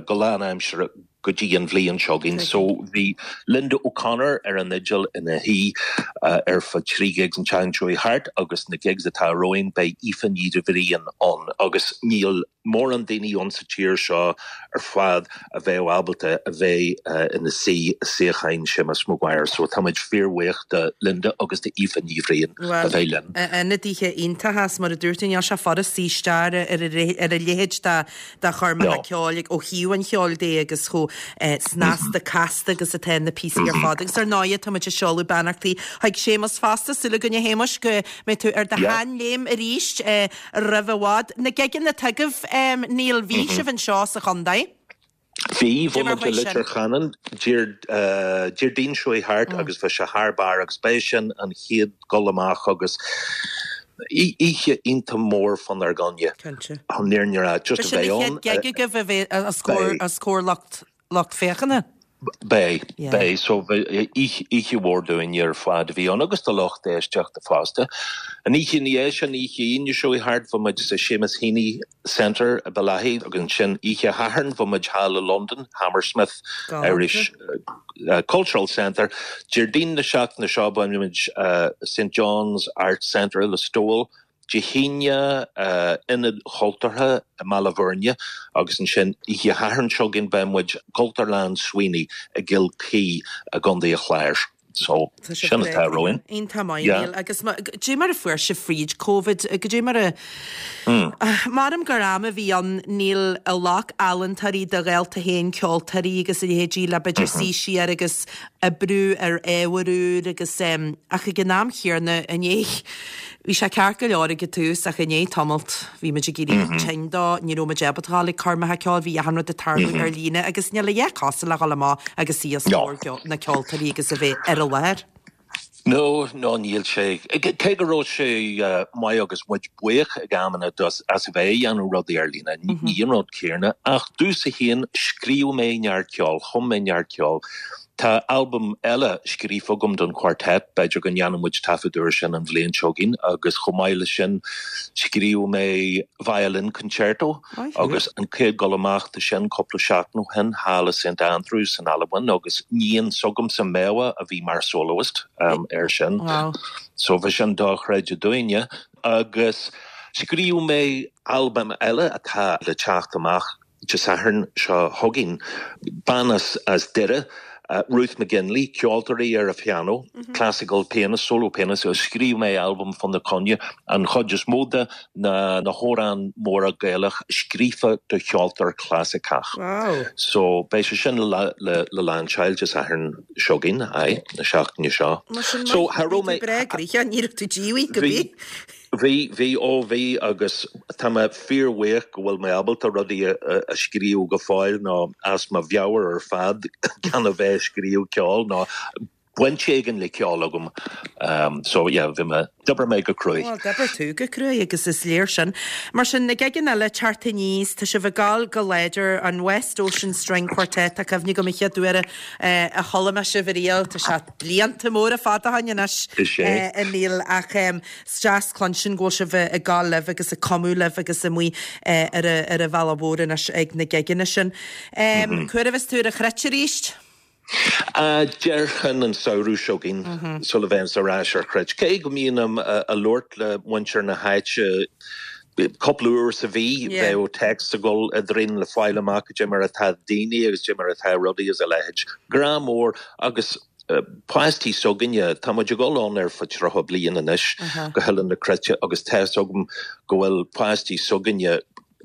Speaker 6: go lánaimseartha go dtí an bhliain seo chugainn. So bhí Linda O'Connor ar an fhidil ina shuí ar feadh trí gigs an tseachtain seo thart agus na gigs atá romhainn beidh Aoife Ní Bhriain ann agus níl mórán daoine ann sa tír seo ar fad a bheadh ábalta a bheith ina suí i suíocháin Séamus Maguire so táimid fíorbhuíoch de Linda agus de Aoife Ní Bhriain a bheith linn.
Speaker 1: Ionadaithe iontacha is mar a dúirt tú níl sé furast suí isteach ar a leithéid de choirmeacha ceoil ó thaobh an cheoil de agus chomh snasta casta agus atá na píosaí ar fad. Agus ar ndóigh táimid ag seoladh beannachtaí chuig Séamus fosta, súil againn a Shéamuis go mbeidh tú ar do sheanléim arís roimh i bhfad. Na gigeanna atá agaibh, Neil, bhí sibh anseo sa chontae.
Speaker 6: Bhí, bhí muid i Leitir Ceanainn Déardaoin seo thart agus bhí sé thar barr agus b'é sin an chéad dul amach agus oíche iontach mór fánár gcoinne.
Speaker 1: Cinnte.
Speaker 6: An fhírinne a rá, just a bheith ann.
Speaker 1: B'shin an chéad gig agaibh a bheith os comhair os comhair lucht lucht féachana?
Speaker 6: Beidh, beidh. So oíche mhór dúinne ar fad a bhí ann agus do lucht éisteachta fosta. An oíche ina dhiaidh sin, oíche Aoine seo thart, bhí muid sa Seamus Heaney Centre i Bellaghy agus ansin oíche Shathairn bhí muid thall i Londain, Hammersmith Irish Cultural Centre. Déardaoin na seachtaine seo beidh muid St John's Arts Centre i Listowel. Dé hAoine, Ionad Chultúrtha i mBaile Bhúirne agus ansin oíche Shathairn seo chugainn beidh muid Cultúrlann Sweeney i gCill Chaoi i gContae an Chláir. So, sin atá romhainn.
Speaker 1: Iontach maith, Neil. Agus goidé mar a fuair sibh fríd Covid, goidé mar a. Measaim gur am a bhí ann, Neil, a ghlac ealaíontóirí do ghaolta féin, ceoltóirí agus a leithéidí le b'fhéidir suí siar agus oibriú ar ábhar úr agus ach ag an am chéanna i ndiaidh Bhí sé ceart go leor ag an tús ach i ndiaidh tamalt bhí muid ag éirí tinn dó, ní raibh muid ábalta a ghabháil ag coirmeacha ceoil, bhí achan rud ag tarlú ar líne agus níl a dhath cosúil le dhul amach agus suí os comhair na ceoltóirí agus a bheith ar an láthair.
Speaker 6: No, no níl sé. Cé go raibh sé maith agus muid buíoch ag amanna as a bheith ag déanamh rudaí ar líne, ní an rud céanna. Ach domhsa féin, scríobh mé neart ceoil, chum mé neart ceoil. Tá albam eile scríofa agam don Quartet, b'fhéidir go ndéanfaidh muid taifead air sin an bhliain seo chugainn, agus chomh maith leis sin scríobh mé Violin Concerto agus an chéad dul amach de sin cúpla seachtain ó shin thall i St Andrews san Albain agus níon s'agamsa Méabha a bhí mar soloist air sin. So bhí sin dochreidte dúinne. Agus scríobh mé albam eile atá le teacht amach Dé Sathairn seo chugainn, bean as Doire, Ruth McGinley, ceoltóir ar an phianó, classical pianist, solo pianist, agus scríobh mé albam fána coinne, an chuid is mó de na na hamhráin móra Gaelach scríofa do cheoltóir clasaiceach. So beidh sé sin le le le lainseáil Dé Sathairn seo chugainn, aye, na seachtaine seo.
Speaker 1: So cha raibh mé. Breá gnoitheach, ní raibh tú díomhaoin go bith.
Speaker 6: Bhí, bhí, ó bhí agus tá mé fíorbhuíoch go bhfuil mé ábalta rudaí a scríobh go fóill nó as mo mheabhair ar fad gan a bheith ag scríobh ceoil nó baint éigin le ceol agam. Um, so yeah, bhí mé d'oibir mé go cruaidh.
Speaker 1: Well, d'oibir tú go cruaidh agus is léir sin. Mar sin na gigeanna eile teacht aníos, tá sibh ag gabháil go láidir an West Ocean String Quartet, tá cuimhne agam an chéad uair eh, a chuala mé sibh ariamh, tá sé blianta móra fada ó shin anois
Speaker 6: Is é.
Speaker 1: eh, a Neil ach um, is deas cluinstin go bhfuil sibh ag gabháil libh agus ag cumadh libh agus amuigh eh, ar a- ar an bhealach mhór anois ag na gigeanna sin. Um, Cá huair a bheas tú ar an Chruit arís?
Speaker 6: Uh, Déarfainn an samhradh seo chugainn sula bheinn ar ais ar Chruit. Cé go mbím ag labhairt le muintir na háite cúpla uair sa mhí
Speaker 1: Yeah.
Speaker 6: bheadh text ag dul eadrainn le fáil amach cad é mar atá daoine agus cad é mar atá rudaí is a leithéid. Grá mór agus uh, páistí s'againne tá muid ag dul ann ar feadh tríocha bliain anois go hOileán na Cruite agus tá a fhios agam go bhfuil páistí s'againne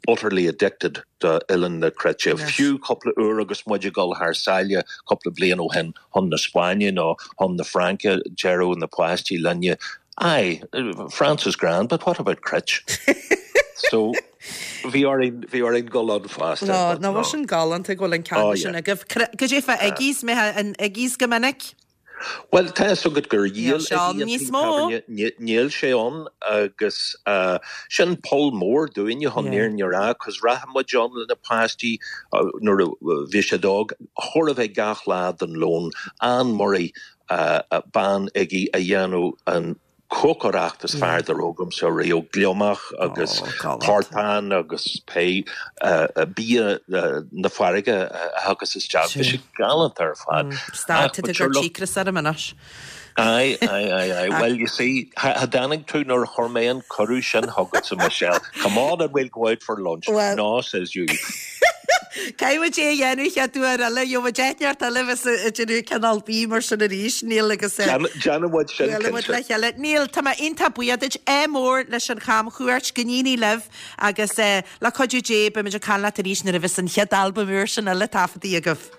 Speaker 6: utterly addicted do Oileán na Cruite.
Speaker 1: Yes.
Speaker 6: Fiú cúpla uair agus muid ag dul thar sáile cúpla bliain ó shin chun na Spáinne nó chun na Fraince deireadh na páistí linne. Aye, France is grand, but what about Cruit? so bhí orainn bhí orainn dul ann fosta.
Speaker 1: No,
Speaker 6: but
Speaker 1: ná bhfuil sin galánta go bhfuil an
Speaker 6: Oh,
Speaker 1: ceann
Speaker 6: yeah.
Speaker 1: sin agaibh. Cad é fá Iggy's mé an Iggy's go minic?
Speaker 6: Well tá so go gur
Speaker 1: Níl
Speaker 6: dhíol
Speaker 1: sé ann níos mó.
Speaker 6: Níl sé ann agus uh, sin poll mór dúinne chun
Speaker 1: Yeah.
Speaker 6: an fhírinne a rá, cos rachadh muid ann le na páistí uh, nuair a bhí siad óg chóir a bheith gach lá den lón Ann Murray uh, uh, bean Iggy a dhéanadh an cócaireacht is fearr dá raibh agamsa riamh gliomach agus
Speaker 1: Oh, galánta.
Speaker 6: portán agus pé uh, uh, bia uh, na farraige uh, agus isteach
Speaker 1: Sure.
Speaker 6: Bhí sé galánta ar fad.
Speaker 1: Stad
Speaker 6: Ach,
Speaker 1: tú
Speaker 6: but
Speaker 1: gur
Speaker 6: sure, look,
Speaker 1: cíocras ar anois.
Speaker 6: Aye, aye, aye, aye. Well, you see, ha ha tháinig tú nuair a chuir mé an cuireadh sin chugat Michelle. Come on and we'll go out for lunch.
Speaker 1: Well-
Speaker 6: no, says you.
Speaker 1: Caithfidh é dhéanamh chéad uair eile jo déneart eile bheith déanamh cineál bí mar sin arís Neil agus eh,
Speaker 6: Déanfaidh muid sin
Speaker 1: Buailfidh muid le
Speaker 6: cinnte.
Speaker 1: chéile. Neil tá mé iontach buíoch duit é mór leis an chamchuairt go n-éirí libh agus eh, le cuidiú Dé beimid ag caint leat arís nuair a bheas an chéad albam úr sin eile taifeadta agaibh.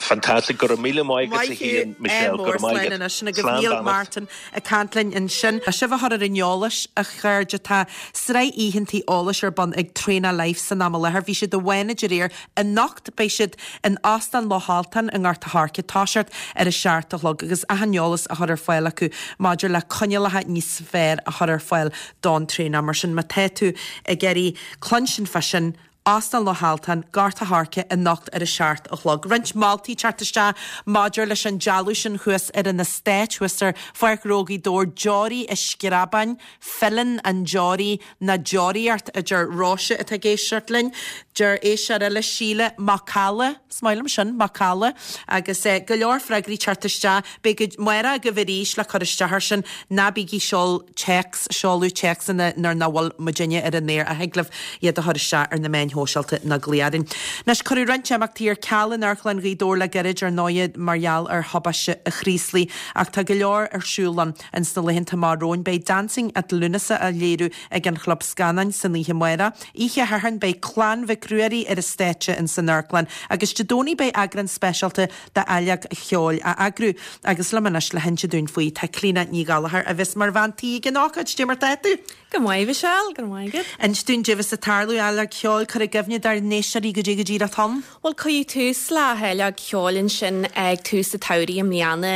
Speaker 6: Fantastic go raibh míle maith agat féin Michelle go raibh maith agat.
Speaker 1: sin go
Speaker 6: Slán
Speaker 1: Neil
Speaker 6: beannacht.
Speaker 1: Martin ag caint linn ansin. A sibh a chur ar an eolas a chairde tá sraith oícheantaí eolais ar bun ag Train Life san am i láthair. Bhí siad i bhFánaid aréir anocht beidh siad in Óstán Loch Altan i nGort an Choirce toiseacht ar a seacht a chlog agus achan eolas a chur ar fáil acu maidir le coinníollacha níos fearr a chur ar fáil don traenáil mar sin má tá tú ag iarraidh cluinstin fá sin Óstán Loch Altan, Gort an Choirce anocht ar a seacht a chlog. Roinnt moltaí teacht isteach maidir leis an dealbh sin thuas ar an eastát thuas ar Pháirc Ghnó Ghaoth Dobhair deoraí i screabáin, filleann an deoraí na deoraíocht a deir Róise atá ag éisteacht linn, deir éisteoir eile Síle Macalla, smaoinim sin Macalla, agus eh, go leor freagraí teacht isteach, beidh maith agaibh arís le cur isteach air sin ná bígí seol téacs seoladh téacsanna nuair nach bhfuil muidinne ar an aer a thig libh iad a chur isteach ar na meáin shóisialta na glaoch orainn. Anois cuireadh roinnt imeachtaí ar ceal in Amharclann Ghaoth Dobhair le gairid ar ndóigh mar gheall ar thubaiste an Chraoslaigh ach tá go leor ar siúl ann in sna laethanta amach romhainn beidh Dancing at Lúnasa á léiriú ag an Chlub Scannáin san oíche amárach. Oíche Shathairn beidh Clann Mhic Ruairí ar an stáitse in san Amharclann, agus Dé Domhnaigh beidh eagrán speisialta d'Áilleacht Cheoil á eagrú agus liom anois le hinse dúinn faoi tá Clíona Ní Ghallchóir a bheas mar bhean tí ag an ócáid cad é mar atá tú.
Speaker 7: Go maith Michelle, go maith agat.
Speaker 1: Inis dúinn cad é bheas ag tarlú Áilleacht Cheoil cur i gcuimhne dár n-éisteoirí cad é go díreach atá ann.
Speaker 7: Well cuireadh tús le hÁilleacht Cheoil ansin ag tús an tsamhraidh i mbliana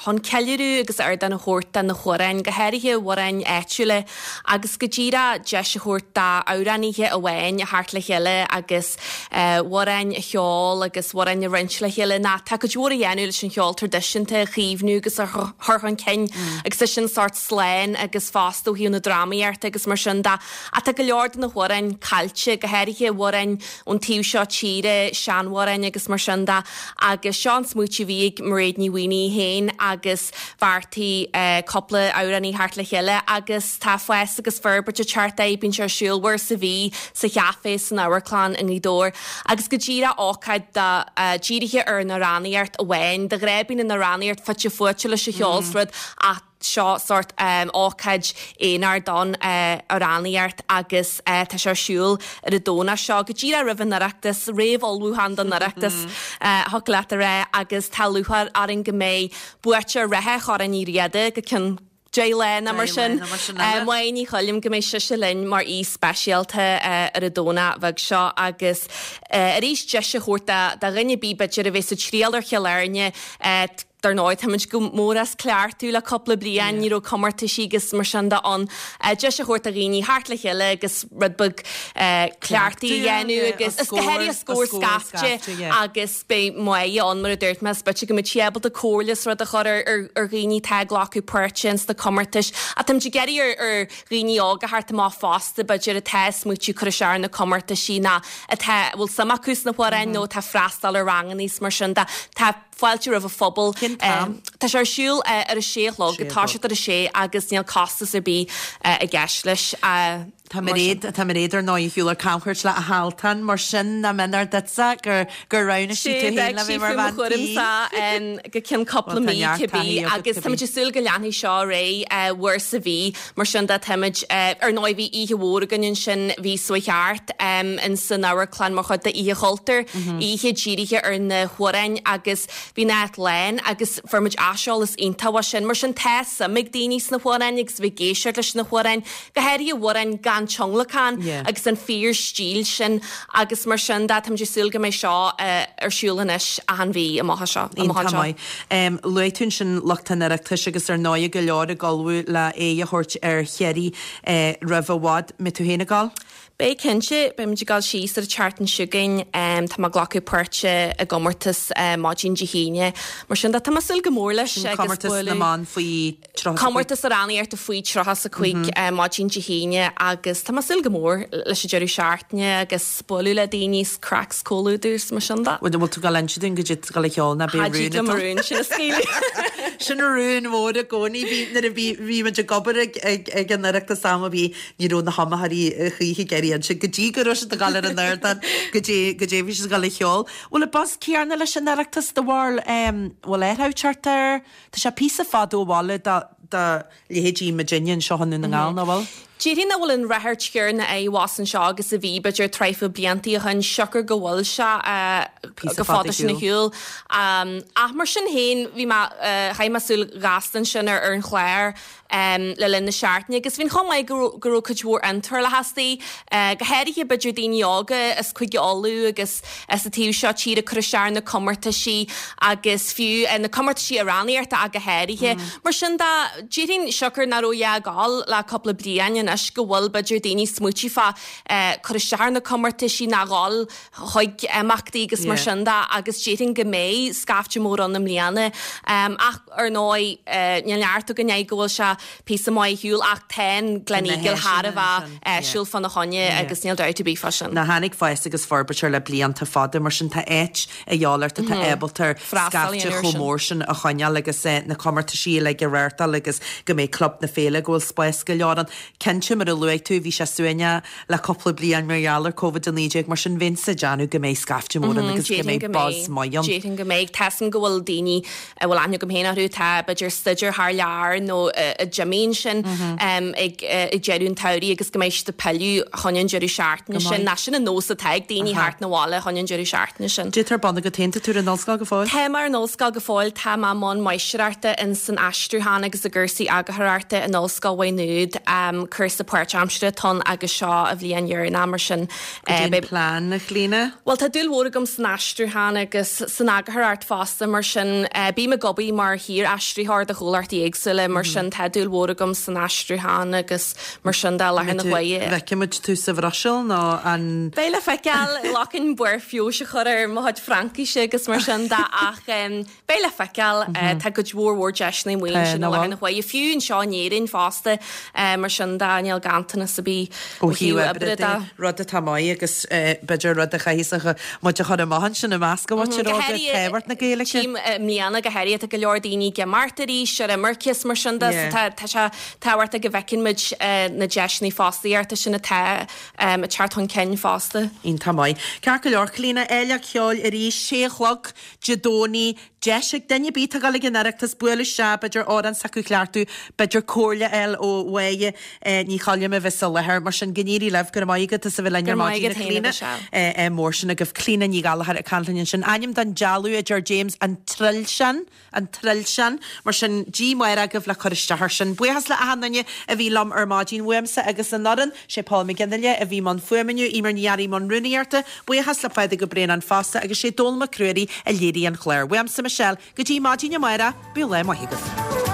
Speaker 7: chun ceiliúradh agus ardán a thabhairt do na hamhráin, go háirithe amhráin áitiúla agus go díreach deis a thabhairt d'amhránaithe amháin a theacht le chéile agus amhráin a cheol agus amhráin a roinnt le chéile ná tá cuid mhór a dhéanamh leis an cheol traidisiúnta a chaomhnú agus a chur chun cinn agus é sin sórt slán agus fosta ó thaobh na drámaíochta agus mar sin de ach tá go leor de na hamhráin caillte go háirithe amhráin ón taobh seo tíre seanamhráin agus mar sin de agus seo an smaoineamh a bhí ag Mairéad Ní Mhaonaigh féin agus bheartaigh cúpla amhránaí theacht le chéile agus tá fás agus forbairt ag teacht air bíonn sé ar siúl uair sa mhí sa chafé san Amharclann i nGaoth Dobhair agus go díreach ócáid dírithe ar an amhránaíocht amháin de ghnáth bíonn an amhránaíocht fite fuaite leis an cheol is rud ach seo sórt um, ócáid aonair don uh, amhránaíocht agus uh, tá sé ar siúl ar an Domhnach seo go díreach roimh an Oireachtas réamhullmhúchán don Oireachtas uh, thig leat a rá agus tá lúcháir orainn go mbeidh buaiteoir reatha Chorn Uí Riada go ceann deich lá nó mar sin Máire Ní Choilm go mbeidh sise linn mar aoi speisialta ar an Domhnach bheag seo agus arís deis a thabhairt do dhuine ar bith b'fhéidir a bheith sa triail ar Chill Airne Dar ndóigh, táimid go mór as cleachtadh le cúpla bliain, ní raibh comórtaisí agus mar sin de ann. Deis a thabhairt do dhaoine theacht le chéile agus rud beag cleachtaidh a dhéanamh agus is go háirithe scór scaifte agus beidh Máire ann mar a dúirt mé, is b'fhéidir go mbeidh sí ábalta comhairle is rud a chur ar ar dhaoine atá ag glacadh páirte ins na comórtais. Ach táimid ag iarraidh ar ar dhaoine óga theacht amach fosta b'fhéidir atá ag smaoitiú cur isteach ar na comórtaisí ná atá a bhfuil suim acu sna hamhráin nó atá ag freastal ar ranganna is mar sin de. Tá fáilte roimh an phobal.
Speaker 1: Cén t-am?
Speaker 7: Tá sé ar siúl ar a sé a chlog, ag toiseacht ar a sé agus níl costas ar bith i gceist leis.
Speaker 1: Tá Mairéad, tá Mairéad ar ndóigh ar shiúl ar camchuairt le a hAltan, mar sin nach méanar duitse gur gur roghnaigh sí tú féin le bheith mar bhean tí.
Speaker 7: go ceann cúpla mí cibé agus táimid ag súil go leanfaidh seo ar aghaidh uair sa mhí, mar sin de táimid, ar ndóigh bhí oíche mhór againn ansin mhí seo chuaigh thart in san amharclann mar chuid de Oíche Chultúir, oíche dírithe ar na hamhráin agus bhí an áit lán agus fuair muid aiseolas iontach uaidh sin. Mar sin tá suim ag daoine sna hamhráin agus bheith ag éisteacht leis na hamhráin, go háirithe amhráin gan tionlacan agus an fíor stíl sin agus mar sin de táimid ag súil go mbeidh seo ar siúl anois achan mhí amach anseo.
Speaker 1: Iontach maith. Luaigh tú ansin lucht an Oireachtais agus ar ndóigh go leor ag ullmhú le aghaidh a thabhairt ar Chiarraí roimh i bhfad. Mbeidh tú féin ag dul?
Speaker 7: Beidh cinnte, beidh muid ag dul síos ar an tseachtain seo chugainn. Tá mé ag glacadh páirte i gcomórtas maidin Dé hAoine. Mar sin de, tá mé ag súil go mór leis
Speaker 1: Sin agus comórtas na mban faoi tríocha is a cúig.
Speaker 7: Comórtas amhránaíochta faoi tríocha is a cúig maidin Dé hAoine agus tá mé ag súil go mór leis an deireadh seachtaine agus bualadh le daoine is craic is comhluadar is mar sin de.
Speaker 1: Bhfuil tú ag dul inse dúinn goidé tá tú ag dul a cheol ná beidh rún
Speaker 7: agat? Rún sin a scaoileadh.
Speaker 1: Sin rún mór i gcónaí. Bhí nuair a bhí bhí muid ag obair ag ag ag an Oireachtas am a bhí ní raibh na hiomaitheoirí choíche ag iarraidh inse go dtí go raibh siad ag dul ar an ardán goidé goidé bhí siad ag dul a cheol. Bhfuil an buzz céanna leis an Oireachtas do bharúil bhfuil athrú ag teacht air? Tá sé píosa fada ó bhaile do do leithéidí muidinne anseo i nDún na nGall, nach bhfuil?
Speaker 7: Déarfainn nach bhfuil an ráchairt chéanna abhus anseo agus a bhí b'fhéidir tríocha bliantaí ó shin siocair go bhfuil sé
Speaker 1: Píosa
Speaker 7: go
Speaker 1: fada
Speaker 7: fada sin ar
Speaker 1: shiúl.
Speaker 7: shiúl. Ach mar sin féin bhí mé chaith mé súil ghasta ansin ar ar an chlár le linn na seachtaine agus bhí an chuma maith go go raibh cuid mhór iontrálacha istigh, go háirithe b'fhéidir daoine óga as Cúige Uladh agus as an taobh seo tíre ag cur isteach ar na comórtaisí agus fiú na comórtaisí amhránaíochta ach go háirithe. Mar sin de, déarfainn siocair nach raibh a dhath ag gabháil le cúpla bliain anois go bhfuil b'fhéidir daoine ag smaoitiú fá cur isteach ar na comórtaisí ná dhul chuig imeachtaí agus mar sin de agus déarfainn go mbeidh scaifte mór ann i mbliana. Ach ar ndóigh níl neart againn air go bhfuil sé píosa maith ar shiúl ach tá an Gleneagle thar a bheith áisiúil fána choinne agus níl dabht ar bith fá sin.
Speaker 1: Ná tháinig fás agus forbairt air le blianta fada, mar sin tá áit a dhíobháil ort atá ábalta scaifte chomh mór sin a choinneáil agus na comórtaisí uilig a reáchtáil agus go mbeidh Club na Féile go bhfuil spás go leor ann. Cinnte, mar a luaigh tú, bhí sé suaimhneach le cúpla bliain mar gheall ar Covid a naoi déag, mar sin bheinnse ag déanamh go mbeidh scaifte mór ann agus go mbeidh buzz maith ann.
Speaker 7: Déarfainn go mbeidh. Tá 'fhios a'm go bhfuil daoine a bhfuil aithne agam féin orthu atá b'fhéidir ag staidéar thar lear nó a d'imigh ansin ag deireadh an tsamhraidh agus go mbeidh siad ag pilleadh chun an deireadh seachtaine sin. Ná sin an nós atá ag daoine theacht 'na bhaile chun an deireadh seachtaine sin.
Speaker 1: Goidé tá ar bun agat féin, tá tú ar an ollscoil go fóill?
Speaker 7: Tá mé ar an ollscoil go fóill, tá mé i mbun máistreachta in san aistriúchán agus i gcúrsaí eagarthóireachta in Ollscoil Mhaigh Nuad. Cúrsa páirtaimseartha atá ann agus seo an bhliain dheireanach mar sin.
Speaker 1: Goidé an plean, a Chlíona?
Speaker 7: Bhuel tá dúil mhór agam san aistriúchán agus san eagarthóireacht fosta mar sin bím ag obair mar shaor-aistritheoir do chomhlachtaí éagsúla mar sin tá dúil mhór agam san aistriúchán agus mar sin de i láthair na huaire.
Speaker 1: Bhfeicfimid tú sa Bhruiséil nó an.
Speaker 7: Beidh le feiceáil, ghlacfainn barr feabhais a chur ar mo chuid Fraincise agus mar sin de ach beidh le feiceáil. Tá cuid mhór mhór deiseanna amuigh ansin i láthair na huaire, fiú anseo in Éirinn fosta mar sin de níl ganntanas ar bith
Speaker 1: ó thaobh oibre de. Rud atá maith agus b'fhéidir rud a chaithfidh muid a chur amach ansin i measc an mhuintir óga, tábhacht na Gaeilge.
Speaker 7: Tchím i mbliana go háirithe tá go leor daoine ag imeacht arís ar imirce is mar sin de so tá tá sé tábhachtach go bhfeiceann muid na deiseanna fostaíochta sin atá ag teacht chun cinn fosta.
Speaker 1: Iontach maith. Ceart go leor, Clíona, Fhéile Cheoil arís, sé a chlog Dé Domhnaigh, deis ag duine ar bith atá ag dul ag an Oireachtas bualadh isteach, b'fhéidir amhrán s'acu a chleachtadh, b'fhéidir comhairle a fháil ó Mháire Ní chaillim a bheith sa láthair mar sin go n-éirí libh go raibh maith agat as a bheith linn ar maidin a Chlíona mór sin agaibh Clíona Ní Ghallchóir ag caint linn ansin. Ainm don dealbh a deir James an Trilsean an Trilsean mar sin Dia amárach agaibh le cur isteach air sin. Buíochas le achan duine a bhí liom ar maidin uaimse agus an fhoireann, sé Paul McGinley a bhí i mbun fuaime inniu, Eimear Ní Fhearraigh i mbun rúnaíochta, buíochas le Pádraig Ó Braonáin fosta agus sé Dónall Mac Ruairí a léirigh an clár. Uaimse Michelle, go dtí maidin amárach, bíodh lá maith agaibh.